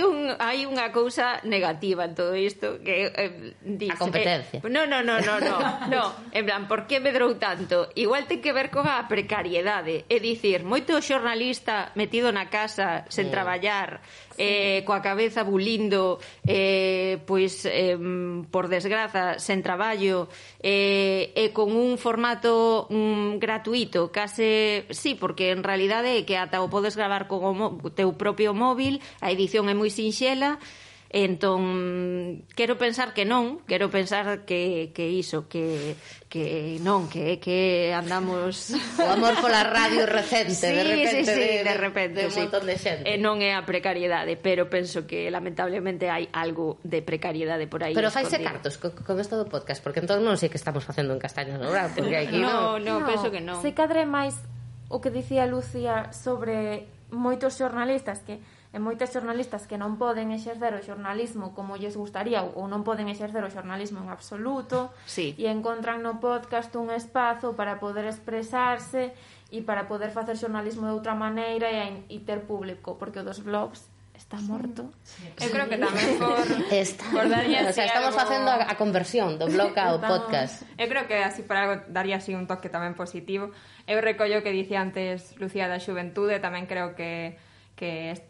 unha cousa negativa en todo isto, que a competencia. No, en plan, por que medrou tanto? Igual ten que ver coa precariedade, é dicir, moito xornalista metido na casa sen traballar, coa cabeza bulindo, pois por desgraza sen traballo, e con un formato gratuito, case sí, porque en realidade é que ata o podes gravar con o teu propio móvil, a edición é moi sinxela. Entón, quero pensar que non, quero pensar que iso, que non, que andamos o amor pola radio recente, sí, de repente, de un montón de xente. Non é a precariedade, pero penso que lamentablemente hai algo de precariedade por aí. Pero faise cartos con isto do podcast, porque entón non sei que estamos facendo en Castañas no Verán, porque aquí non, penso que non. Se cadre máis o que dicía Lucía sobre moitos xornalistas que non poden exercer o xornalismo como lles gustaría ou non poden exercer o xornalismo en absoluto, sí. E encontran no podcast un espazo para poder expresarse e para poder facer xornalismo de outra maneira e ter público, porque o dos blogs está morto. Sí. Eu creo que tamén por darlle así, o sea, estamos facendo a conversión do blog ao podcast. Eu creo que así para algo daría así un toque tamén positivo. Eu recollo que dicía antes Lucía da xuventude, tamén creo que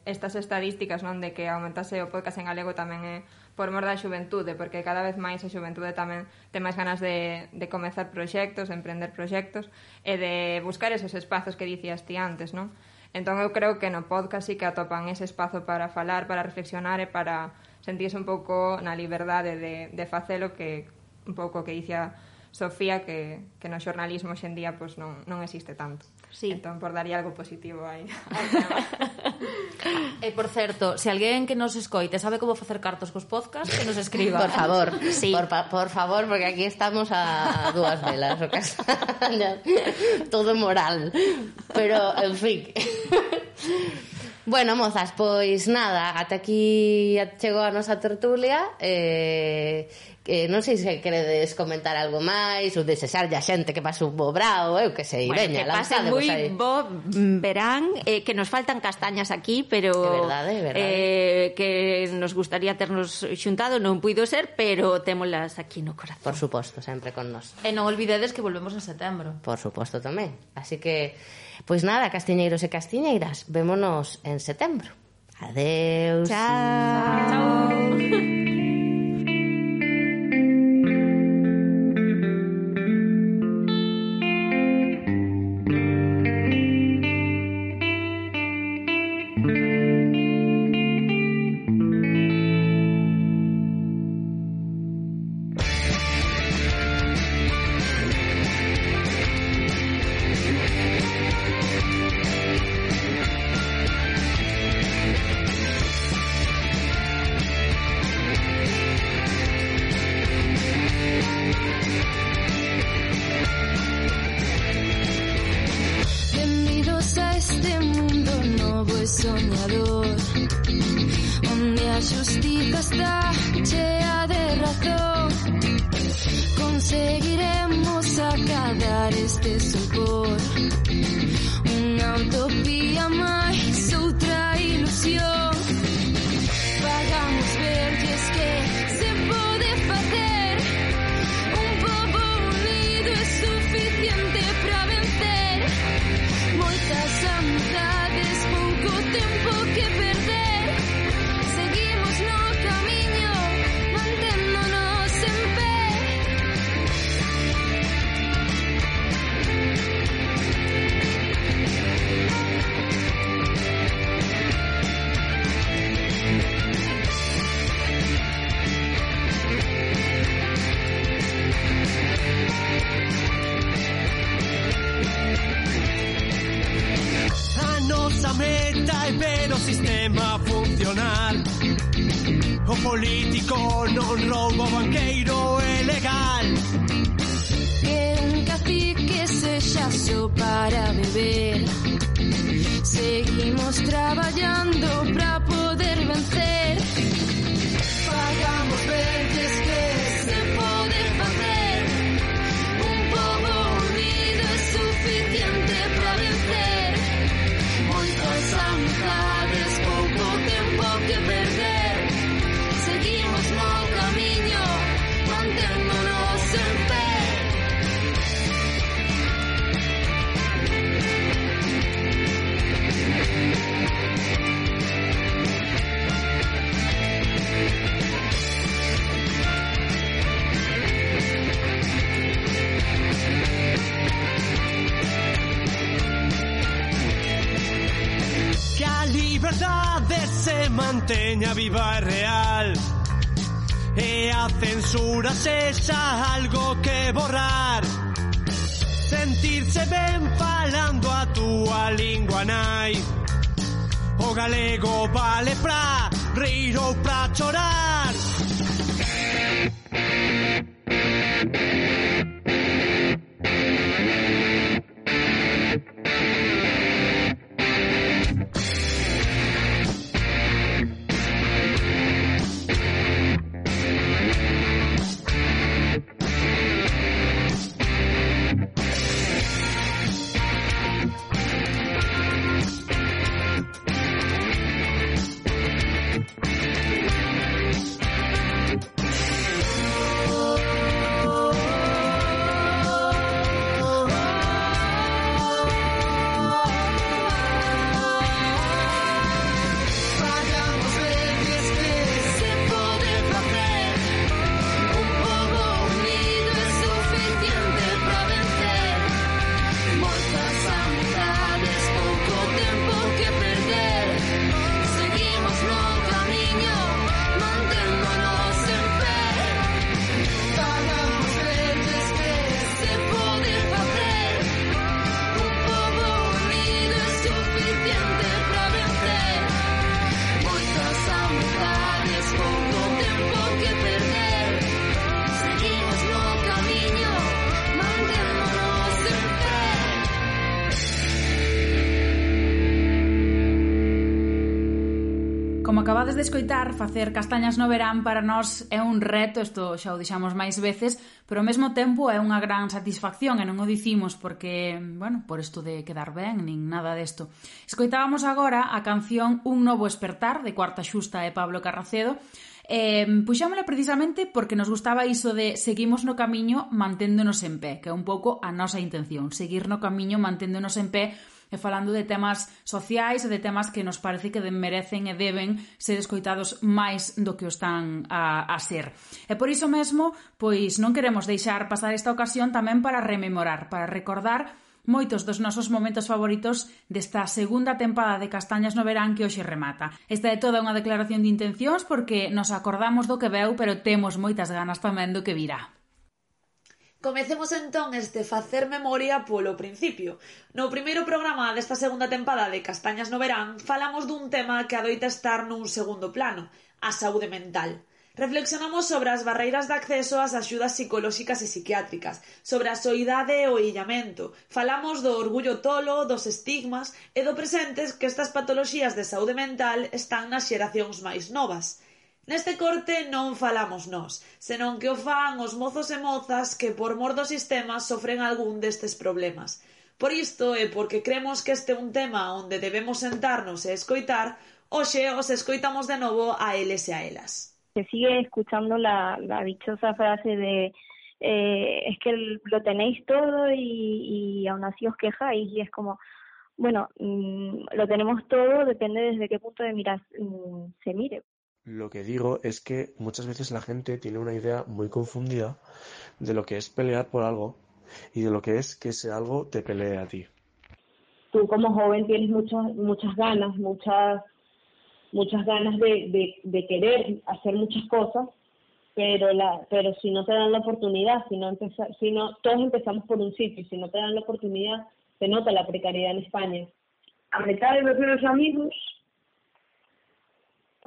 estas estadísticas, non, de que aumentase o podcast en galego tamén é por mor da xuventude, porque cada vez máis a xuventude tamén ten máis ganas de comezar proxectos, de emprender proxectos e de buscar esos espazos que dicías ti antes, non? Entón eu creo que no podcast sí que atopan ese espazo para falar, para reflexionar e para sentirse un pouco na liberdade de facelo, que un pouco que dicía Sofía, que no xornalismo hoxendía pues, non existe tanto. Sí. Entón, por daría algo positivo aí. E, por certo, se alguén que nos escoite sabe como facer cartos cos podcast, que nos escriba. Por favor, sí. por favor, porque aquí estamos a dúas velas, o Castañas, todo moral. Pero, en fin... Bueno, mozas, pois nada, ata aquí chegou a nosa tertulia. Non sei se queredes comentar algo máis ou desexarlle a xente que pase un bo brao, eu que sei, bueno, veña, que pase moi bo verán, que nos faltan castañas aquí, pero verdade. Que nos gustaría ternos xuntado, non puido ser, pero témolas aquí no corazón. Por suposto, sempre con nós. E non olvidedes que volvemos en setembro. Por suposto tamén. Así que, pois nada, castiñeiros e castiñeiras, vémonos en setembro. Adeus. Chao. Político non roubo, banqueiro é legal. Que un cacique sexa só para beber. Seguimos traballando para poder vencer. Pagamos verdes que se pode facer. Un pobo unido é suficiente para vencer. Moitas amizades, pouco tempo que perder. Seguimos no camiño, manténdonos en pé. Que a liberdade se manteña viva e real, e a censura sexa algo que borrar. Sentirse ben falando a túa lingua nai. O galego vale pra rir ou pra chorar. Acabades de escoitar facer castañas no verán para nós é un reto, isto xa o dixamos máis veces, pero ao mesmo tempo é unha gran satisfacción e non o dicimos porque, bueno, por isto de quedar ben, nin nada desto. Escoitábamos agora a canción Un novo espertar de Cuarta Xusta e Pablo Carracedo. Puxámola precisamente porque nos gustaba iso de seguimos no camiño manténdonos en pé, que é un pouco a nosa intención, seguir no camiño manténdonos en pé e falando de temas sociais e de temas que nos parece que merecen e deben ser escoitados máis do que o están a ser. E por iso mesmo, pois non queremos deixar pasar esta ocasión tamén para rememorar, para recordar moitos dos nosos momentos favoritos desta segunda tempada de Castañas no verán que hoxe remata. Esta é toda unha declaración de intencións porque nos acordamos do que veu, pero temos moitas ganas tamén do que virá. Comecemos entón este facer memoria polo principio. No primeiro programa desta segunda tempada de Castañas no verán falamos dun tema que adoita estar nun segundo plano, a saúde mental. Reflexionamos sobre as barreiras de acceso ás axudas psicolóxicas e psiquiátricas, sobre a soidade e o illamento. Falamos do orgullo tolo, dos estigmas e do presentes que estas patoloxías de saúde mental están nas xeracións máis novas. Neste corte non falamos nós, senón que o fan os mozos e mozas que por mor do sistema sofren algún destes problemas. Por isto e porque cremos que este é un tema onde debemos sentarnos e escoitar, hoxe os escoitamos de novo a eles e a elas. Se sigue escuchando la dichosa frase de es que lo tenéis todo y aún así os quejáis, y es como, bueno, lo tenemos todo, depende desde qué punto de mira se mire. Lo que digo es que muchas veces la gente tiene una idea muy confundida de lo que es pelear por algo y de lo que es que ese algo te pelee a ti. Tú como joven tienes muchas ganas, muchas ganas de querer hacer muchas cosas, pero si no te dan la oportunidad, si no todos empezamos por un sitio, si no te dan la oportunidad, se nota la precariedad en España. A mitad de los amigos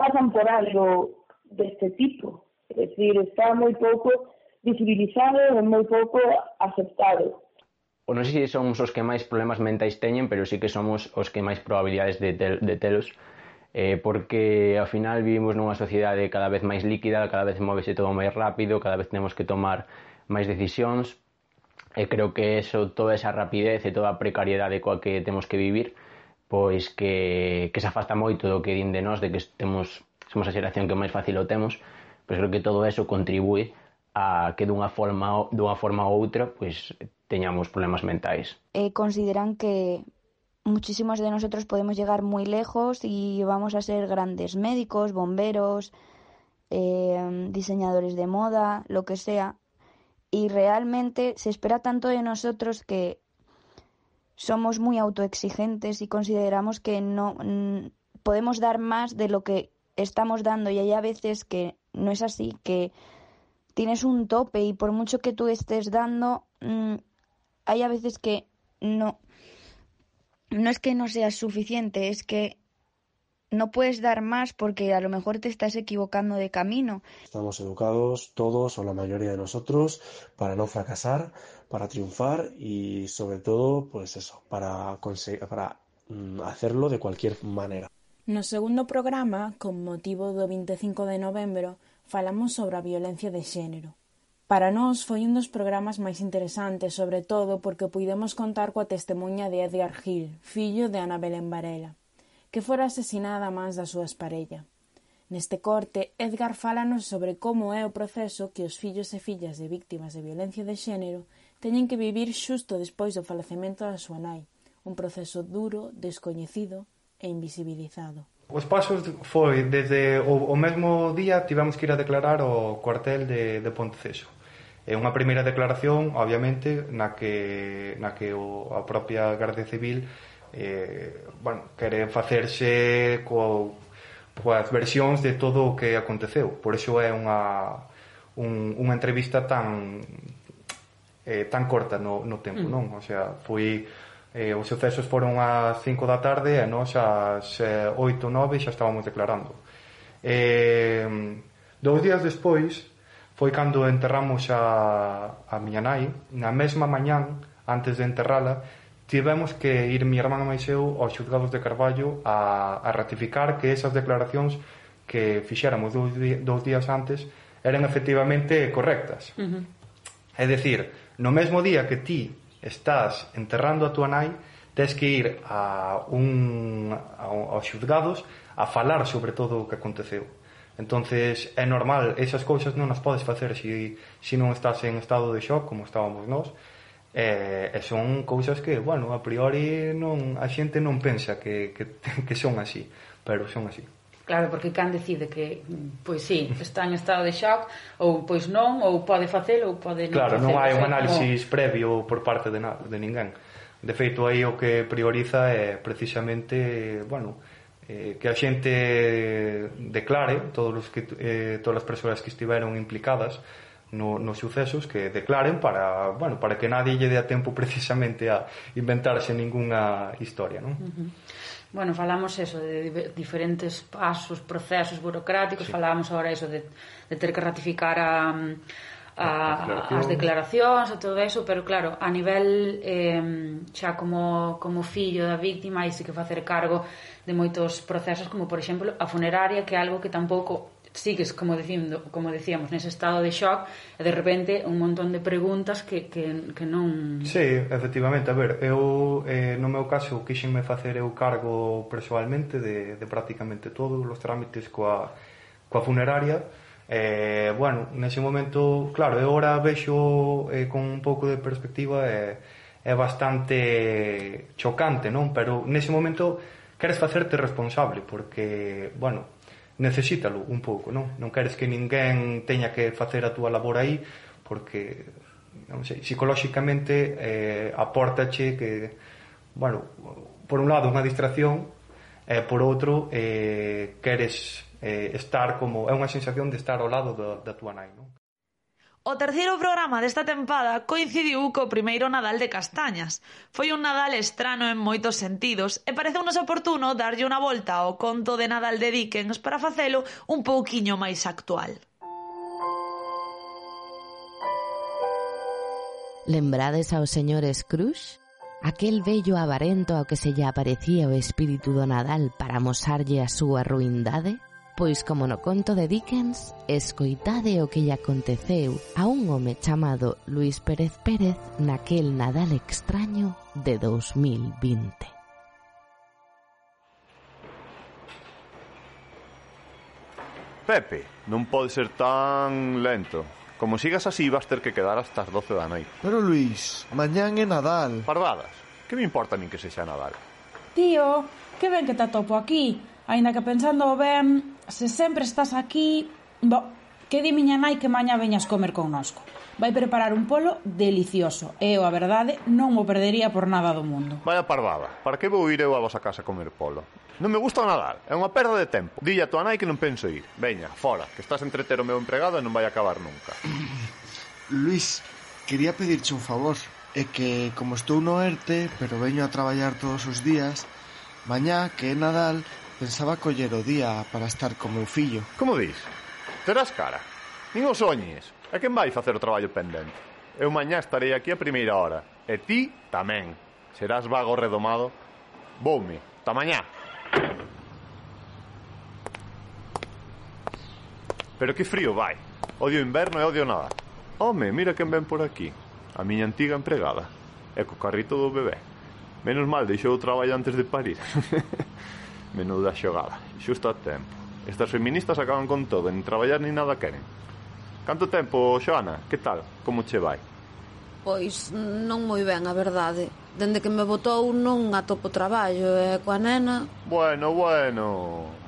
pasan por algo de este tipo, es decir, está muy poco visibilizado e moi pouco aceptado. O non sei se somos os que máis problemas mentais teñen, pero sí que somos os que máis probabilidades de telos, porque ao final vivimos nunha sociedade cada vez máis líquida, cada vez móvese todo máis rápido, cada vez temos que tomar máis decisións, e creo que eso, toda esa rapidez e toda a precariedade coa que temos que vivir, pois que se afasta moito do que din de nós, de que somos a xeración que máis fácil o temos, pois creo que todo eso contribúe a que dunha forma ou outra pois teñamos problemas mentais. Consideran que muchísimos de nosotros podemos llegar muy lejos y vamos a ser grandes médicos, bomberos, diseñadores de moda, lo que sea, y realmente se espera tanto de nosotros que somos muy autoexigentes y consideramos que no podemos dar más de lo que estamos dando, y hay a veces que no es así, que tienes un tope y por mucho que tú estés dando, hay a veces que no es que no seas suficiente, es que no puedes dar más porque a lo mejor te estás equivocando de camino. Estamos educados todos o la mayoría de nosotros para no fracasar, para triunfar y sobre todo pues eso, para hacerlo de cualquier manera. No segundo programa, con motivo do 25 de novembro, falamos sobre a violencia de xénero. Para nós foi un dos programas máis interesantes, sobre todo porque puidemos contar coa testemunha de Edgar Gil, fillo de Ana Belén Varela, que fora asesinada a mans da súa parella. Neste corte, Edgar fálanos sobre como é o proceso que os fillos e fillas de víctimas de violencia de xénero teñen que vivir xusto despois do falecemento da súa nai, un proceso duro, descoñecido e invisibilizado. Os pasos foi desde o mesmo día tivemos que ir a declarar ao cuartel de Ponteceso. É unha primeira declaración, obviamente, na que a propia Garda Civil quere facerse coas versións de todo o que aconteceu. Por iso é unha entrevista tan corta no tempo, non? O sea, os sucesos foron ás 5 da tarde e nós ás 8 ou 9 xa estábamos declarando. 2 días despois foi cando enterramos a miña nai. Na mesma mañán, antes de enterrala, tivemos que ir mi irmán e eu aos xuzgados de Carballo a ratificar que esas declaracións que fixéramos 2 días antes eran efectivamente correctas. É dicir, no mesmo día que ti estás enterrando a tua nai, tes que ir aos xuzgados a falar sobre todo o que aconteceu. Entonces é normal, esas cousas non as podes facer se non estás en estado de shock como estábamos nós, e son cousas que, bueno, a priori a xente non pensa que son así, pero son así. Claro, porque can decide que, pois sí, está en estado de shock, ou pois non, ou pode facelo, ou pode non facelo. Claro, non hai un análisis como... previo por parte de ninguén. De feito, aí o que prioriza é precisamente, bueno, que a xente declare, todas as persoas que estiveron implicadas nos sucesos, que declaren para que nadie lle dé a tempo precisamente a inventarse ningunha historia, non? Bueno, falamos eso de diferentes pasos, procesos burocráticos, falábamos agora eso de ter que ratificar as declaracións e todo eso, pero claro, a nivel xa como fillo da víctima, hai que facer cargo de moitos procesos, como por exemplo a funeraria, que é algo que tampouco sigues, como decíamos, nese estado de shock, e de repente un montón de preguntas que non... Sí, efectivamente, a ver, eu no meu caso quixenme facer eu cargo persoalmente de prácticamente todos os trámites coa funeraria. Bueno, nese momento, claro, eu ahora vexo con un pouco de perspectiva, é bastante chocante, non? Pero nese momento queres facerte responsable, porque, bueno, necesítalo un pouco, non? Non queres que ninguén teña que facer a túa labor aí, porque, non sei, psicolóxicamente apórtache que, bueno, por un lado unha distracción, e por outro queres estar como... É unha sensación de estar ao lado da túa nai, non? O terceiro programa desta tempada coincidiu co primeiro Nadal de Castañas. Foi un Nadal estrano en moitos sentidos e pareceunos oportuno darlle unha volta ao conto de Nadal de Dickens para facelo un pouquiño máis actual. Lembrades ao señor Scrooge? Aquel vello avarento ao que se lle aparecía o espírito do Nadal para amosarlle a súa ruindade? Pois como no conto de Dickens, escoitade o que lle aconteceu a un home chamado Luis Pérez Pérez naquel Nadal extraño de 2020. Pepe, non pode ser tan lento. Como sigas así, vas ter que quedar hasta as 12 da noite. Pero Luis, mañán é Nadal. Pardadas, que me importa a min que sexa Nadal? Tío, que ben que te atopo aquí. Aínda que pensando ben, se sempre estás aquí... que di miña nai que mañá veñas comer connosco. Vai preparar un polo delicioso. E eu, a verdade, non o perdería por nada do mundo. Vaya pardada, para que vou ir eu a vosa casa a comer polo? Non me gusta o Nadal, é unha perda de tempo. Dille a tua nai que non penso ir. Veña, fora, que estás a entreter o meu empregado e non vai acabar nunca. Luis, quería pedirche un favor. É que, como estou no ERTE, pero veño a traballar todos os días, mañá, que é Nadal, pensaba coller o día para estar co meu fillo. Como dis? Terás cara? Nin o soñes. E quen vai facer o traballo pendente? Eu mañá estarei aquí a primeira hora. E ti tamén. Serás vago redomado. Voume. Ta mañá. Pero que frío vai. Odio o inverno e odio nada. Home, mira quen ven por aquí. A miña antiga empregada. E co carrito do bebé. Menos mal deixou o traballo antes de parir. Menuda xogada, xusto a tempo. Estas feministas acaban con todo, nin traballar nin nada queren. Canto tempo, Xoana? Que tal? Como che vai? Pois non moi ben, a verdade. Dende que me botou non atopo traballo e coa nena... Bueno,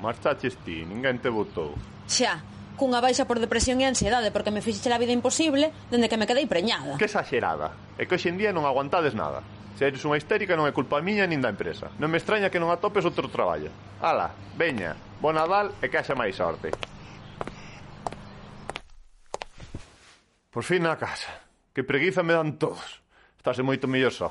marchaches ti, ninguén te botou. Xa, cunha baixa por depresión e ansiedade porque me fixeche a vida imposible dende que me quedei preñada. Que exagerada. É que hoxe en día non aguantades nada. Se eres unha histérica non é culpa miña nin da empresa. Non me extraña que non atopes outro traballo. Ala, veña, bo Nadal e que haxa máis sorte. Por fin na casa. Que preguiza me dan todos. Estase moito mellor só.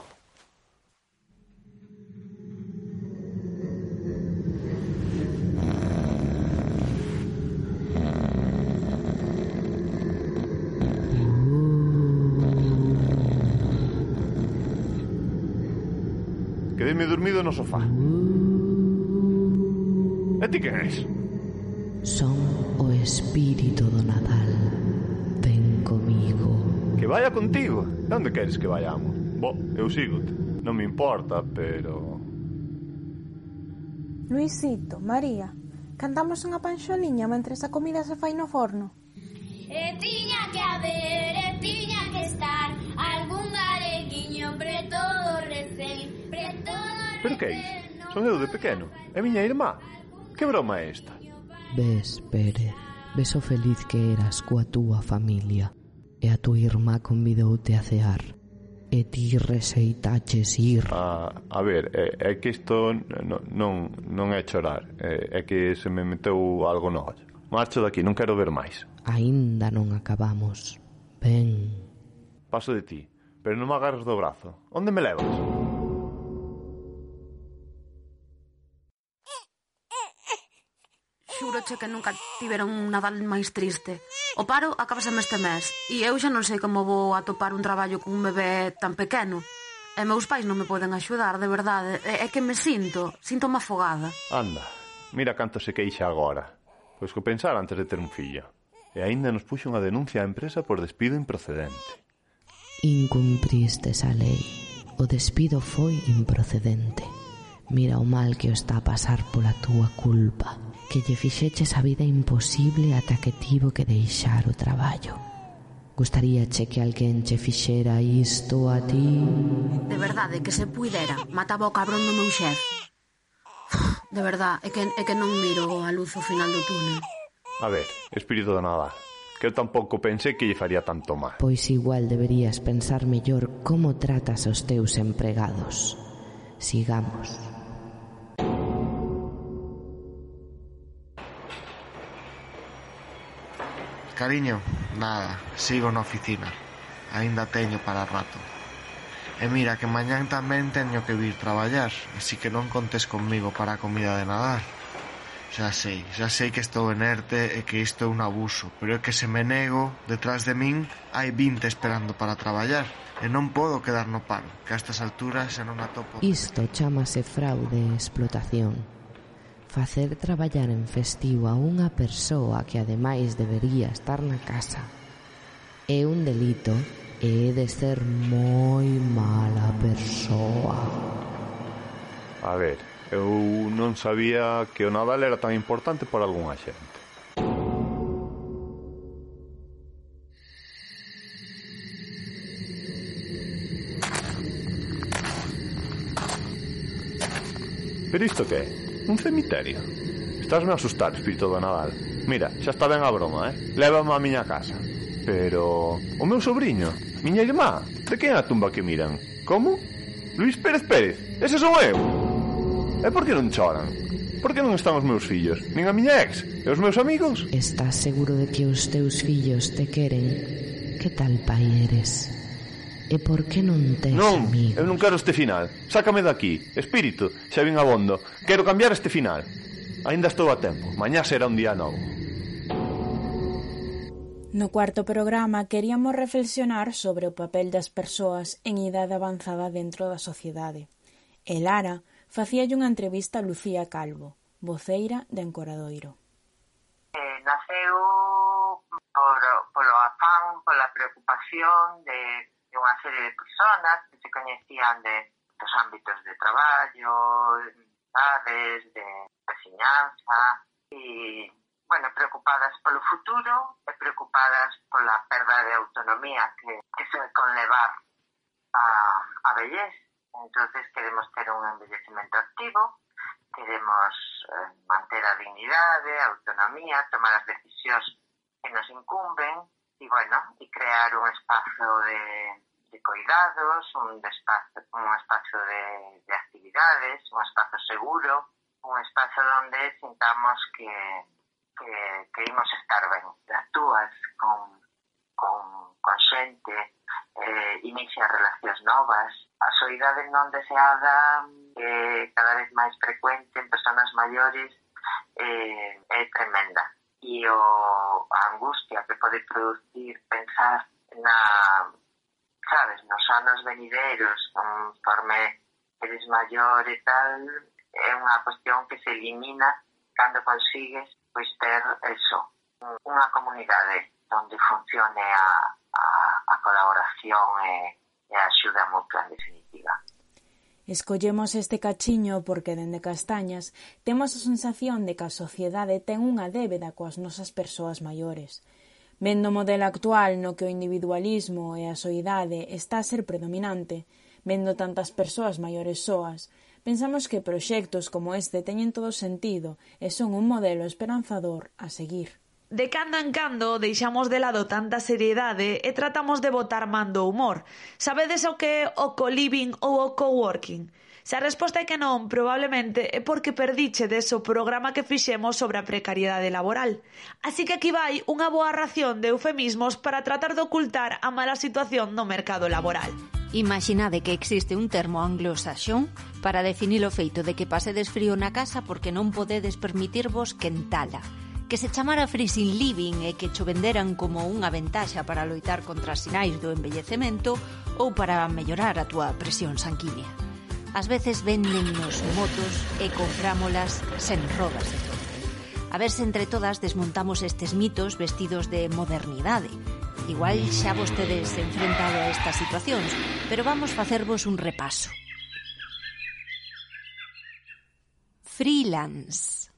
Quedeme dormido no sofá. E ti quen és? Son o espírito do Nadal. Ven comigo. Que vaya contigo? Onde queres que vayamos? Bo, eu sígote. Non me importa, pero... Luisito, María, cantamos unha panxoliña mentres a comida se fai no forno. E tiña que haber, e tiña que estar algún galeguiño preto do recén, preto do recén. Pero que é isto? Son eu de pequeno. É miña irmá. Que broma é esta? Ves, Pérez, ves o feliz que eras coa túa familia, e a túa irmá convidoute a cear, e ti receitaches ir. A ver, é que isto non é chorar, é que se me meteu algo no ollo. Marcho daqui, non quero ver máis. Aínda non acabamos. Ven. Paso de ti, pero non me agarres do brazo. Onde me levas? Xúroche que nunca tiveron un Nadal máis triste. O paro acabaseme este mes e eu xa non sei como vou atopar un traballo con un bebé tan pequeno. E meus pais non me poden axudar, de verdade. É que me sinto-me afogada. Anda, mira canto se queixa agora. Pois que pensar antes de ter un fillo. E aínda nos puxo unha denuncia á empresa por despido improcedente. Incumpristes a lei. O despido foi improcedente. Mira o mal que o está a pasar pola túa culpa, que lle fixeches a vida imposible ata que tivo que deixar o traballo. Gustaríache que alguén che fixera isto a ti? De verdade, que se puidera, mataba o cabrón do meu xefe. De verdade, é que non miro a luz ao final do túnel. A ver, espírito do Nadal, que eu tampouco pensei que lle faría tanto mal. Pois igual deberías pensar mellor como tratas aos teus empregados. Sigamos. Cariño, nada, sigo na oficina. Aínda teño para rato. E mira que mañán tamén teño que vir traballar, así que non contes conmigo para a comida de Nadal. Xa sei que estou en ERTE e que isto é un abuso, pero é que se me nego, detrás de min hai 20 esperando para traballar e non podo quedar no paro, que a estas alturas xa non atopo. Isto chámase fraude e explotación. Facer traballar en festivo a unha persoa que ademais debería estar na casa é un delito e é de ser moi mala persoa. A ver, eu non sabía que o Nadal era tan importante para algunha xente. Pero isto que é? Un cemiterio? Estásme a asustar, espírito do Nadal. Mira, xa está ben a broma, Lévame á miña casa. Pero... o meu sobrinho? Miña irmá? De quen é a tumba que miran? Como? Luís Pérez Pérez? Ese son eu? E por que non choran? Por que non están os meus fillos? Nin a miña ex? E os meus amigos? Estás seguro de que os teus fillos te queren? Que tal pai eres? E por que non tes amigos? Non, eu non quero este final. Sácame daqui. Espírito, xa vin abondo. Quero cambiar este final. Aínda estou a tempo. Mañá será un día novo. No cuarto programa queríamos reflexionar sobre o papel das persoas en idade avanzada dentro da sociedade. E Lara facíalle unha entrevista a Lucía Calvo, voceira de Encoradoiro. Naceu polo afán, pola preocupación de unha serie de personas que se coñecían dos ámbitos de traballo, de veciñanza e, preocupadas polo futuro e preocupadas pola perda de autonomía que se conlevar a vellez. Entonces queremos ter un envellecemento activo, queremos manter a dignidade, a autonomía, tomar as decisións que nos incumben e crear un espazo de cuidados, un espazo de actividades, un espazo seguro, un espazo onde sintamos que imos estar ben. Actúas con xente, inicia relacións novas. A soidade non deseada cada vez máis frecuente en persoas maiores é tremenda. E a angustia que pode producir pensar nos anos venideiros, conforme eres maior e tal, é unha cuestión que se elimina cando consigues pois ter eso, unha comunidade onde funcione a colaboración e a axuda mutua en definitiva. Escollemos este cachiño porque dende Castañas temos a sensación de que a sociedade ten unha débeda coas nosas persoas maiores. Vendo o modelo actual no que o individualismo e a soidade está a ser predominante, vendo tantas persoas maiores soas, pensamos que proxectos como este teñen todo sentido e son un modelo esperanzador a seguir. De cando en cando deixamos de lado tanta seriedade e tratamos de botar man do humor. Sabedes o que é o co-living ou o coworking? Se a resposta é que non, probablemente é porque perdichedes o programa que fixemos sobre a precariedade laboral. Así que aquí vai unha boa ración de eufemismos para tratar de ocultar a mala situación no mercado laboral. Imaginade que existe un termo anglosaxón para definir o feito de que pasedes frío na casa porque non podedes permitirvos quentala, que se chamara freezing living e que cho venderan como unha ventaxa para loitar contra as sinais do envellecemento ou para mellorar a túa presión sanguínea. Ás veces véndennos motos e comprámolas sen rodas de fronte. A ver se entre todas desmontamos estes mitos vestidos de modernidade. Igual xa vostedes enfrentado a estas situacións, pero vamos facervos un repaso. Freelance.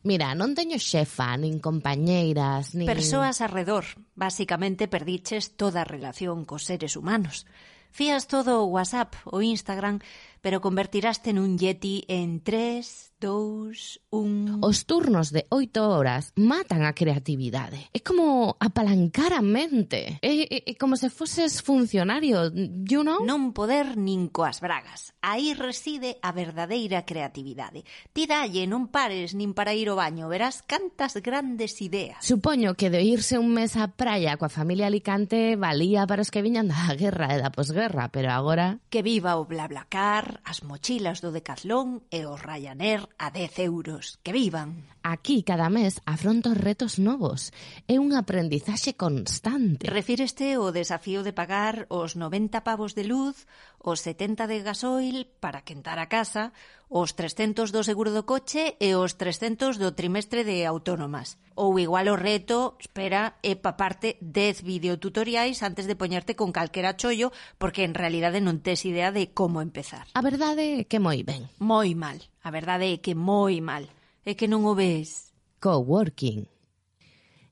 Mira, non teño xefa, nin compañeiras, nin... Persoas arredor. Básicamente perdiches toda a relación cos seres humanos. Fías todo o WhatsApp, o Instagram, pero convertiraste nun yeti en 3, 2, 1... Os turnos de 8 horas matan a creatividade. É como apalancar a mente. É como se foses funcionario, you know? Non poder nin coas bragas. Aí reside a verdadeira creatividade. Ti dalle, non pares nin para ir ao baño. Verás cantas grandes ideas. Supoño que de irse un mes á praia coa familia Alicante valía para os que viñan da guerra e da posguerra, pero agora... Que viva o BlaBlaCar, as mochilas do Decathlon e o Ryanair a 10 euros. Que vivan! Aquí, cada mes, afronto retos novos. É un aprendizaxe constante. Refíreste ao desafío de pagar os 90 pavos de luz, os 70 de gasoil para quentar a casa, os 300 do seguro do coche e os 300 do trimestre de autónomas. Ou igual o reto, espera, é paparte 10 videotutoriais antes de poñerte con calquera chollo, porque en realidade non tes idea de como empezar. A verdade é que moi ben. Moi mal. A verdade é que moi mal. É que non o ves. Coworking.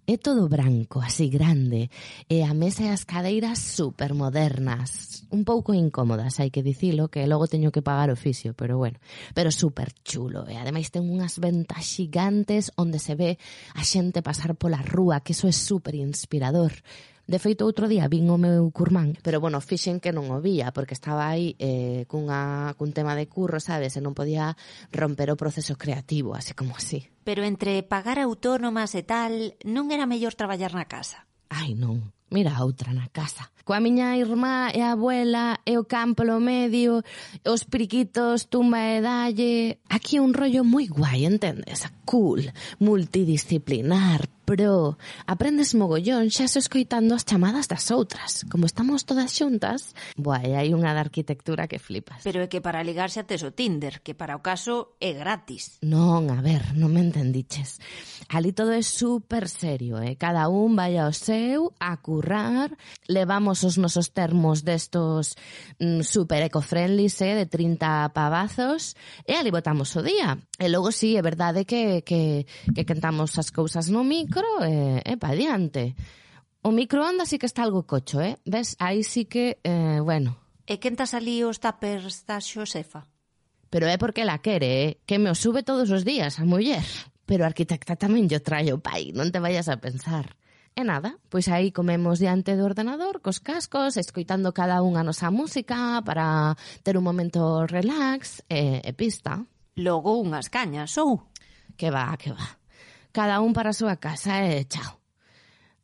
É todo branco, así grande, e a mesa e as cadeiras supermodernas. Un pouco incómodas, hai que dicilo, que logo teño que pagar o fisio, pero bueno. Pero super chulo, e ademais ten unhas ventas xigantes onde se ve a xente pasar pola rúa, que eso é super inspirador. De feito, outro día vin o meu curmán, pero, bueno, fixen que non o vía, porque estaba aí cun tema de curro, sabes, e non podía romper o proceso creativo, así como así. Pero entre pagar autónomas e tal, non era mellor traballar na casa? Ai, non. Mira a outra na casa. Coa miña irmá e a abuela e o campo lo medio, os periquitos, tumba e dalle... Aquí é un rollo moi guai, entendes? Cool, multidisciplinar, pro... Aprendes mogollón xa se escoitando as chamadas das outras. Como estamos todas xuntas, e hai unha de arquitectura que flipas. Pero é que para ligar xa tes o Tinder, que para o caso é gratis. Non, a ver, non me entendiches. Ali todo é super serio, Cada un vai ao seu a currar, levamos os nosos termos destos super eco-friendly, de 30 pavazos, e ali botamos o día. E logo sí, é verdade que cantamos as cousas no micro e pa diante. O microondas sí que está algo cocho, Ves? Aí sí que, bueno. E quentas ali os tuppers da Xosefa? Pero é porque la quere, que me o sube todos os días a muller. Pero a arquitecta tamén yo traio pai, non te vayas a pensar. E nada, pois aí comemos diante do ordenador, cos cascos, escoitando cada unha a nosa música para ter un momento relax e pista. Logo unhas cañas, ou? Que va. Cada un para a súa casa e chao.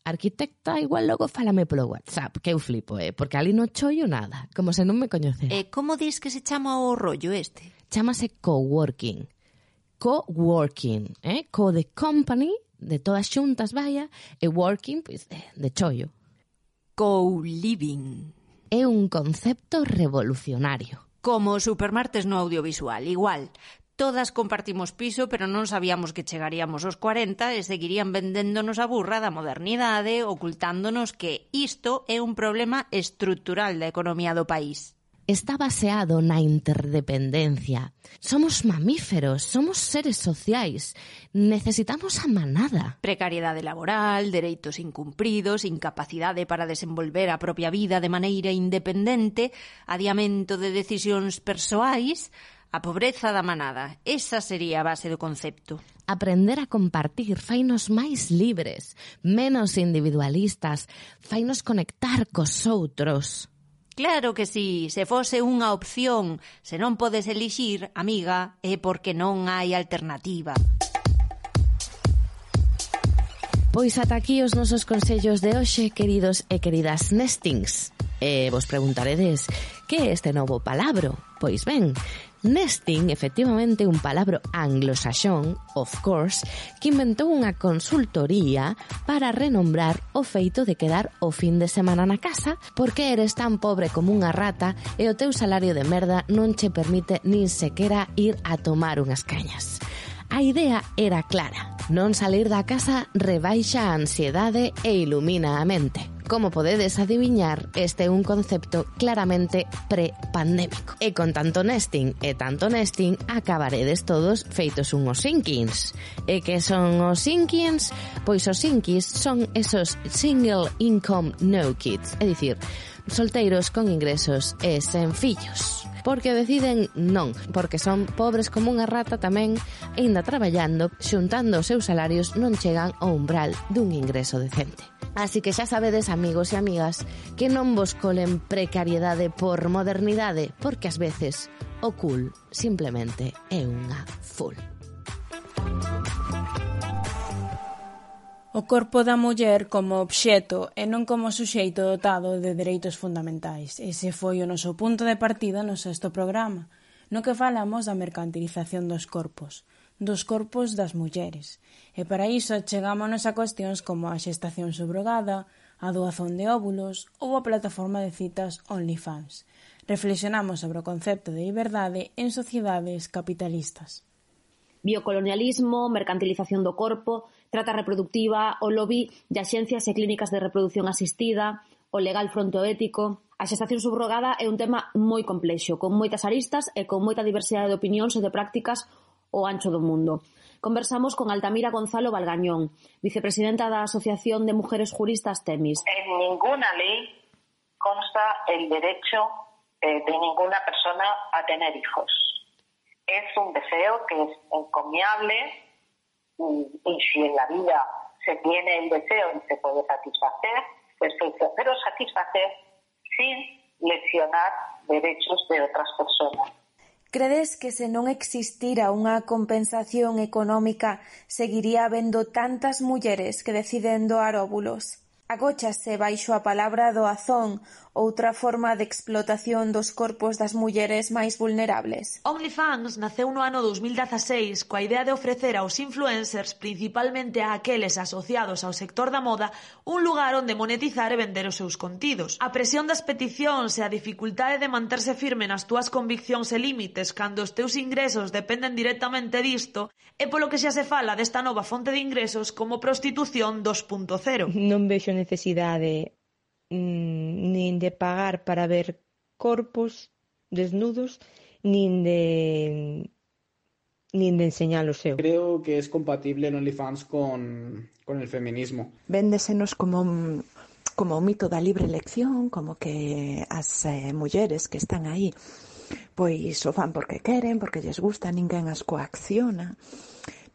Arquitecta, igual logo fálame polo WhatsApp, que eu flipo, porque ali non chollo nada, como se non me coñecera. E como dis que se chama o rollo este? Chámase coworking. Coworking, co de company, de todas xuntas, vaya, e working, pois, de chollo. Co-living. É un concepto revolucionario. Como supermartes no audiovisual, igual. Todas compartimos piso, pero non sabíamos que chegaríamos aos 40 e seguirían vendéndonos a burra da modernidade, ocultándonos que isto é un problema estrutural da economía do país. Está baseado na interdependencia. Somos mamíferos, somos seres sociais. Necesitamos a manada. Precariedade laboral, dereitos incumpridos, incapacidade para desenvolver a propia vida de maneira independente, adiamento de decisións persoais, a pobreza da manada. Esa sería a base do concepto. Aprender a compartir fainos máis libres, menos individualistas, fainos conectar cos outros. Claro que sí, se fose unha opción, se non podes elixir, amiga, é porque non hai alternativa. Pois ata aquí os nosos consellos de hoxe, queridos e queridas nestings. E vos preguntaredes, que é este novo palabro? Pois ben, nesting, efectivamente, un palabro anglosaxón, of course, que inventou unha consultoría para renombrar o feito de quedar o fin de semana na casa porque eres tan pobre como unha rata e o teu salario de merda non che permite nin sequera ir a tomar unhas cañas. A idea era clara. Non salir da casa rebaixa a ansiedade e ilumina a mente. Como podedes adiviñar, este é un concepto claramente pre-pandémico. E con tanto nesting, acabaredes todos feitos unhos sinkins. E que son os sinkins? Pois os sinkins son esos single income no kids, é dicir, solteiros con ingresos e sen fillos. Porque deciden non, porque son pobres como unha rata tamén, e ainda traballando, xuntando os seus salarios non chegan ao umbral dun ingreso decente. Así que xa sabedes, amigos e amigas, que non vos colen precariedade por modernidade, porque ás veces o cool simplemente é unha full. O corpo da muller como obxeto e non como suxeito dotado de dereitos fundamentais. Ese foi o noso punto de partida no sexto programa, no que falamos da mercantilización dos corpos das mulleres. E para iso chegámonos a cuestións como a xestación subrogada, a doazón de óvulos ou a plataforma de citas OnlyFans. Reflexionamos sobre o concepto de liberdade en sociedades capitalistas. Biocolonialismo, mercantilización do corpo, trata reproductiva, o lobby de axencias e clínicas de reproducción asistida, o legal frontoético. A xestación subrogada é un tema moi complexo, con moitas aristas e con moita diversidade de opinións e de prácticas ao ancho do mundo. Conversamos con Altamira Gonzalo Valgañón, vicepresidenta da Asociación de Mujeres Juristas Temis. En ninguna ley consta el derecho de ninguna persona a tener hijos. Es un deseo que es encomiable y si en la vida se tiene el deseo y se puede satisfacer, perfecto, pero satisfacer sin lesionar derechos de otras personas. Credes que se non existira unha compensación económica seguiría habendo tantas mulleres que deciden doar óvulos? Agóchase baixo a palabra doazón, outra forma de explotación dos corpos das mulleres máis vulnerables. OnlyFans naceu no ano 2016 coa idea de ofrecer aos influencers, principalmente a aqueles asociados ao sector da moda, un lugar onde monetizar e vender os seus contidos. A presión das peticións e a dificultade de manterse firme nas túas conviccións e límites cando os teus ingresos dependen directamente disto é polo que xa se fala desta nova fonte de ingresos como prostitución 2.0. Non vexo necesidade nin de pagar para ver corpos desnudos nin de enseñalos eu. Creo que es compatible el OnlyFans con el feminismo. Véndesenos como o mito da libre elección, como que as mulleres que están aí pois o fan porque queren, porque lles gusta, ninguén as coacciona.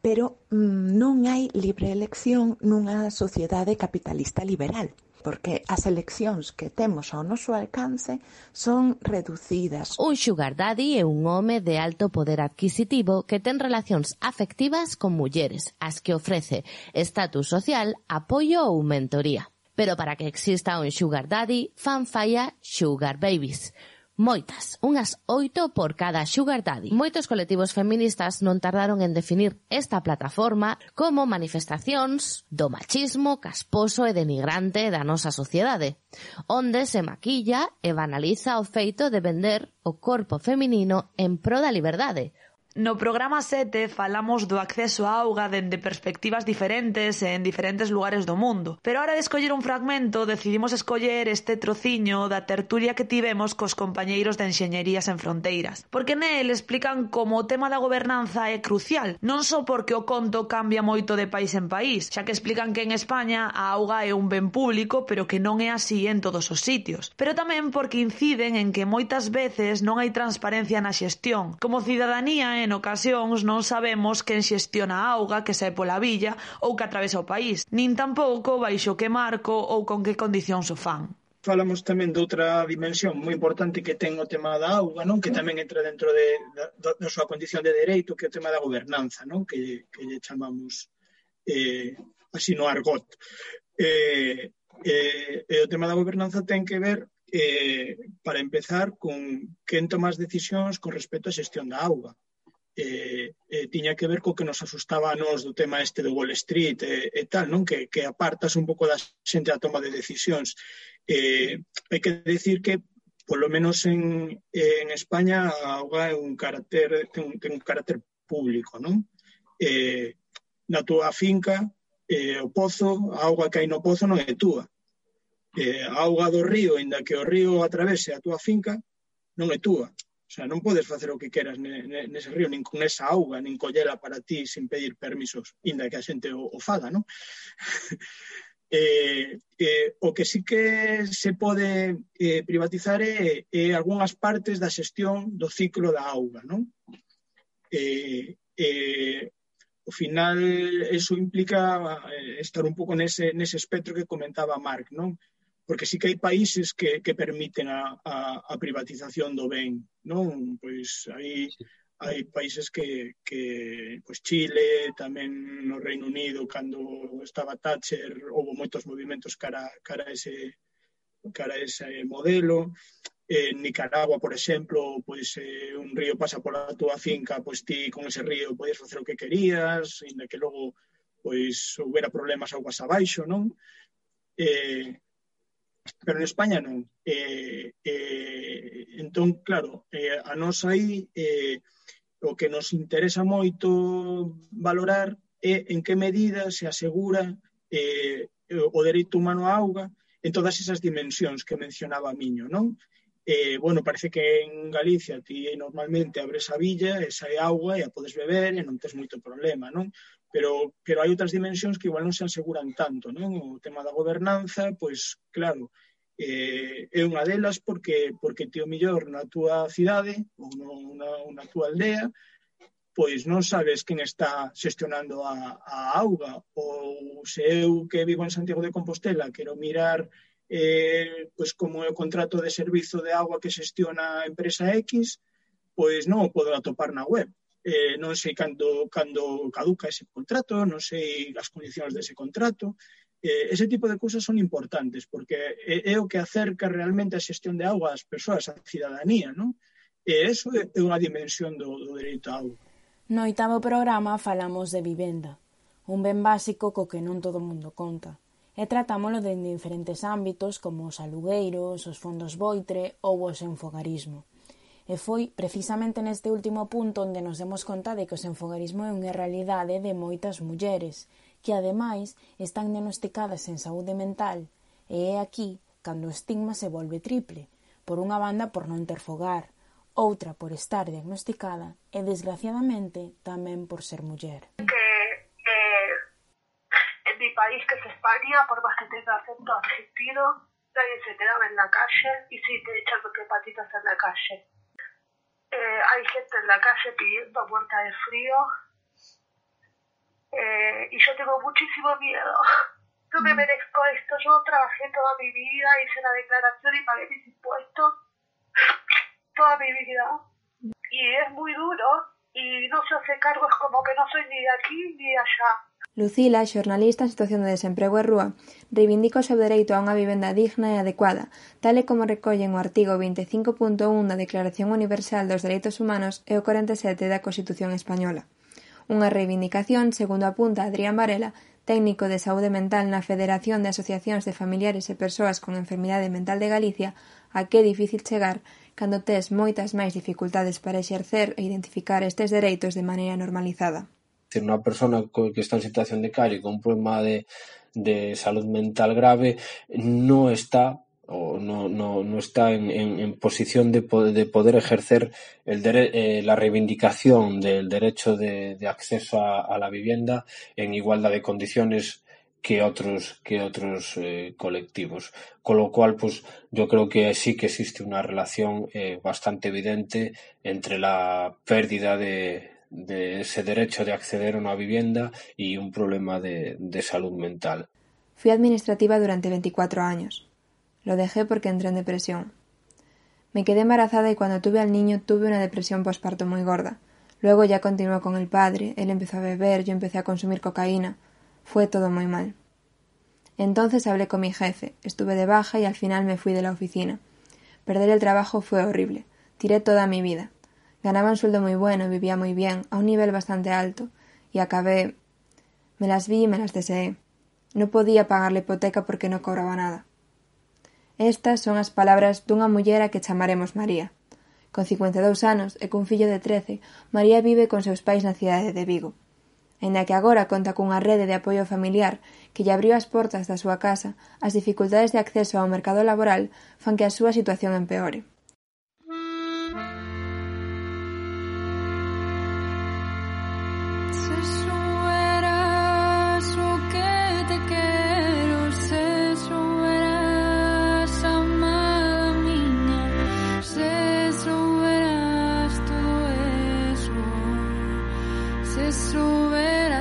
Pero non hai libre elección nunha sociedade capitalista liberal, porque as eleccións que temos ao noso alcance son reducidas. Un sugar daddy é un home de alto poder adquisitivo que ten relacións afectivas con mulleres, as que ofrece estatus social, apoio ou mentoría. Pero para que exista un sugar daddy, fan falla sugar babies. Moitas, unhas 8 por cada sugar daddy. Moitos colectivos feministas non tardaron en definir esta plataforma como manifestacións do machismo casposo e denigrante da nosa sociedade, onde se maquilla e banaliza o feito de vender o corpo feminino en pro da liberdade. No programa 7 falamos do acceso á auga dende perspectivas diferentes e en diferentes lugares do mundo. Pero a hora de escoller un fragmento, decidimos escoller este trociño da tertulia que tivemos cos compañeiros de Enxeñería Sen Fronteiras. Porque nel explican como o tema da gobernanza é crucial, non só porque o conto cambia moito de país en país, xa que explican que en España a auga é un ben público, pero que non é así en todos os sitios. Pero tamén porque inciden en que moitas veces non hai transparencia na xestión. Como cidadanía, en ocasións non sabemos quen xestiona a auga que sae pola villa ou que atravesa o país, nin tampouco baixo que marco ou con que condicións o fan. Falamos tamén de outra dimensión moi importante que ten o tema da auga, non? Que tamén entra dentro da súa condición de dereito, que é o tema da gobernanza, non? Que lle chamamos así no argot. O tema da gobernanza ten que ver, para empezar, con quen toma as decisións con respecto á xestión da auga. Tiña que ver co que nos asustaba a nos do tema este do Wall Street e tal, non? Que apartas un pouco da xente a toma de decisións. Hai que decir que, polo menos en España, a auga ten un carácter público, non? Na túa finca, o pozo, a auga que hai no pozo non é túa. A auga do río, inda que o río atravese a túa finca, non é túa. O sea, non podes facer o que queras nese río, nin con esa auga, nin collela para ti sin pedir permisos, inda que a xente o faga, non? O que sí que se pode privatizar é algunhas partes da xestión do ciclo da auga, non? Ao final, eso implica estar un pouco nese espectro que comentaba Marc, non? Porque sí que hai países que permiten a privatización do ben, non? Pois hai países que pois Chile, tamén no Reino Unido, cando estaba Thatcher, houve moitos movimentos cara a ese modelo. En Nicaragua, por exemplo, pois un río pasa pola túa finca, pois ti con ese río podías facer o que querías, inda que logo pois houbera problemas augas abaixo, non? Pero en España non. Entón, claro, a nos aí o que nos interesa moito valorar é en que medida se asegura o dereito humano á auga en todas esas dimensións que mencionaba Miño, non? Bueno, parece que en Galicia ti normalmente abres a villa e sae auga e a podes beber e non tes moito problema, non? Pero hai outras dimensións que igual non se aseguran tanto, non? O tema da gobernanza, pois, claro, é unha delas porque ti o mellor na túa cidade ou na túa aldea, pois non sabes quen está xestionando a auga, ou se eu que vivo en Santiago de Compostela quero mirar pois como é o contrato de servizo de auga que xestiona a empresa X, pois non o podo atopar na web. Non sei cando caduca ese contrato, non sei as condicións dese contrato. Ese tipo de cousas son importantes, porque é o que acerca realmente a xestión de auga ás persoas, á cidadanía, non? E eso é unha dimensión do dereito á auga. No 8º programa falamos de vivenda, un ben básico co que non todo o mundo conta, e tratámolo de diferentes ámbitos como os alugueiros, os fondos voitre ou o senfogarismo. E foi precisamente neste último punto onde nos demos conta de que o senfogarismo é unha realidade de moitas mulleres, que ademais están diagnosticadas en saúde mental, e é aquí cando o estigma se volve triple, por unha banda por non ter fogar, outra por estar diagnosticada e, desgraciadamente, tamén por ser muller. En mi país, que es España, por más que tenga acento argentino, nadie se queda en la calle y sí te echan hepatitis en la calle. Hay gente en la calle pidiendo muerta de frío y yo tengo muchísimo miedo. No me merezco esto. Yo trabajé toda mi vida, hice la declaración y pagué mis impuestos toda mi vida y es muy duro y no se hace cargo, es como que no soy ni de aquí ni de allá. Lucila, xornalista en situación de desemprego e rúa, reivindica o seu dereito a unha vivenda digna e adecuada, tal e como recollen o artigo 25.1 da Declaración Universal dos Dereitos Humanos e o 47 da Constitución Española. Unha reivindicación, segundo apunta Adrián Varela, técnico de saúde mental na Federación de Asociacións de Familiares e Persoas con Enfermidade Mental de Galicia, a que é difícil chegar cando tes moitas máis dificultades para exercer e identificar estes dereitos de maneira normalizada. Unha persona que está en situación de calle con un problema de salud mental grave no está en posición de poder ejercer la reivindicación del derecho de acceso a la vivienda en igualdad de condiciones que otros colectivos. Con lo cual, pues yo creo que sí que existe una relación bastante evidente entre la pérdida de ese derecho de acceder a una vivienda y un problema de salud mental. Fui administrativa durante 24 años. Lo dejé porque entré en depresión. Me quedé embarazada y cuando tuve al niño tuve una depresión posparto muy gorda. Luego ya continuó con el padre, él empezó a beber, yo empecé a consumir cocaína. Fue todo muy mal. Entonces hablé con mi jefe, estuve de baja y al final me fui de la oficina. Perder el trabajo fue horrible. Tiré toda mi vida. Ganaba un sueldo muy bueno, vivía muy bien, a un nivel bastante alto, y acabé... Me las vi y me las deseé. No podía pagar la hipoteca porque no cobraba nada. Estas son as palabras dunha muller a que chamaremos María. Con 52 anos e cun fillo de 13, María vive con seus pais na cidade de Vigo. Aínda que agora conta cunha rede de apoio familiar que lle abriu as portas da súa casa, as dificultades de acceso ao mercado laboral fan que a súa situación empeore. Se souberas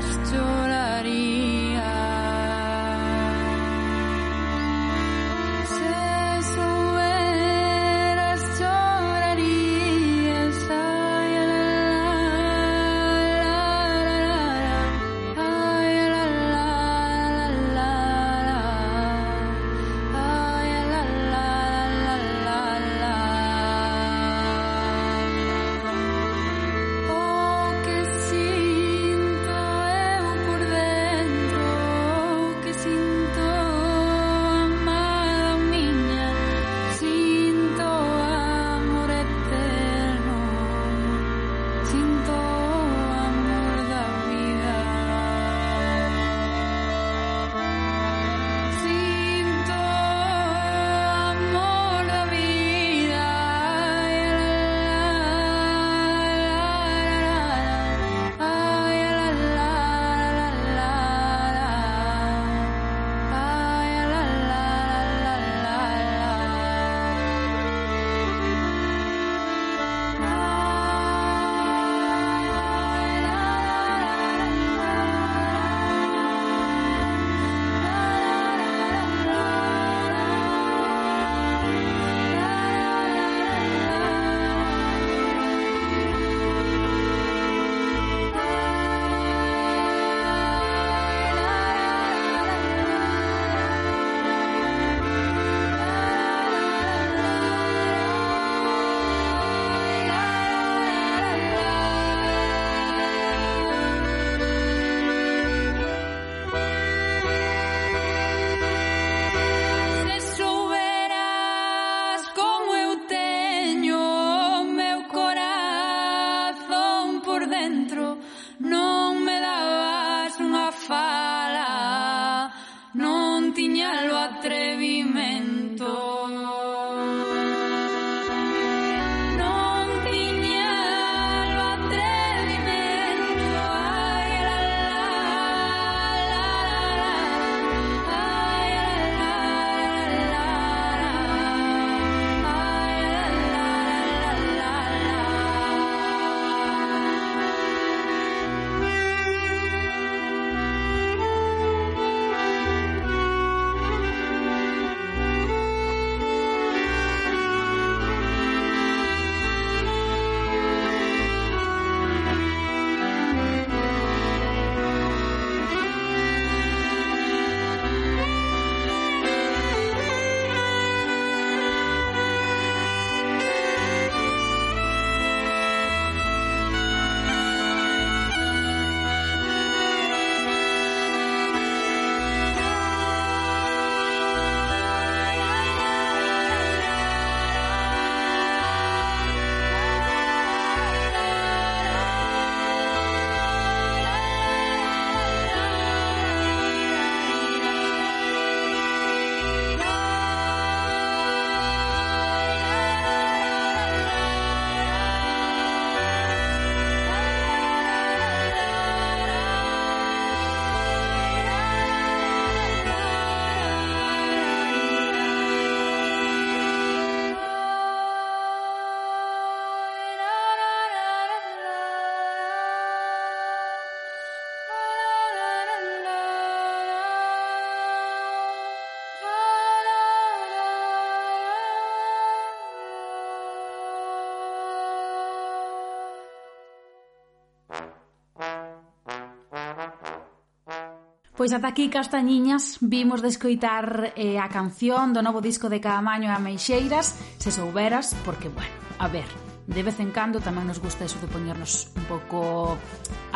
Pois ata aquí, castañiñas, vimos de escoitar a canción do novo disco de Caamaño e Ameixeiras, Se souberas, porque, bueno, a ver, de vez en cando tamén nos gusta eso de poñernos un pouco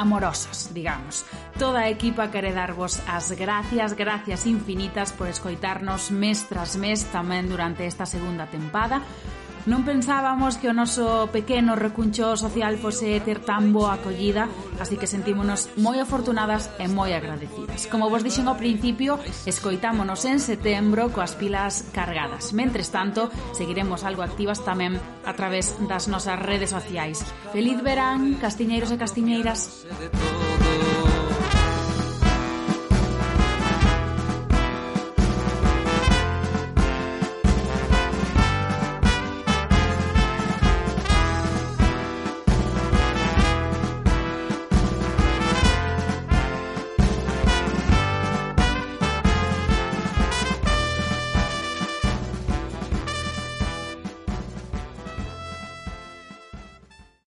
amorosas, digamos. Toda a equipa quere darvos as gracias infinitas por escoitarnos mes tras mes tamén durante esta segunda tempada. Non pensábamos que o noso pequeno recuncho social fose ter tan boa acollida, así que sentímonos moi afortunadas e moi agradecidas. Como vos dixen ao principio, escoitámonos en setembro coas pilas cargadas. Mentres tanto, seguiremos algo activas tamén a través das nosas redes sociais. Feliz verán, castiñeiros e castiñeiras.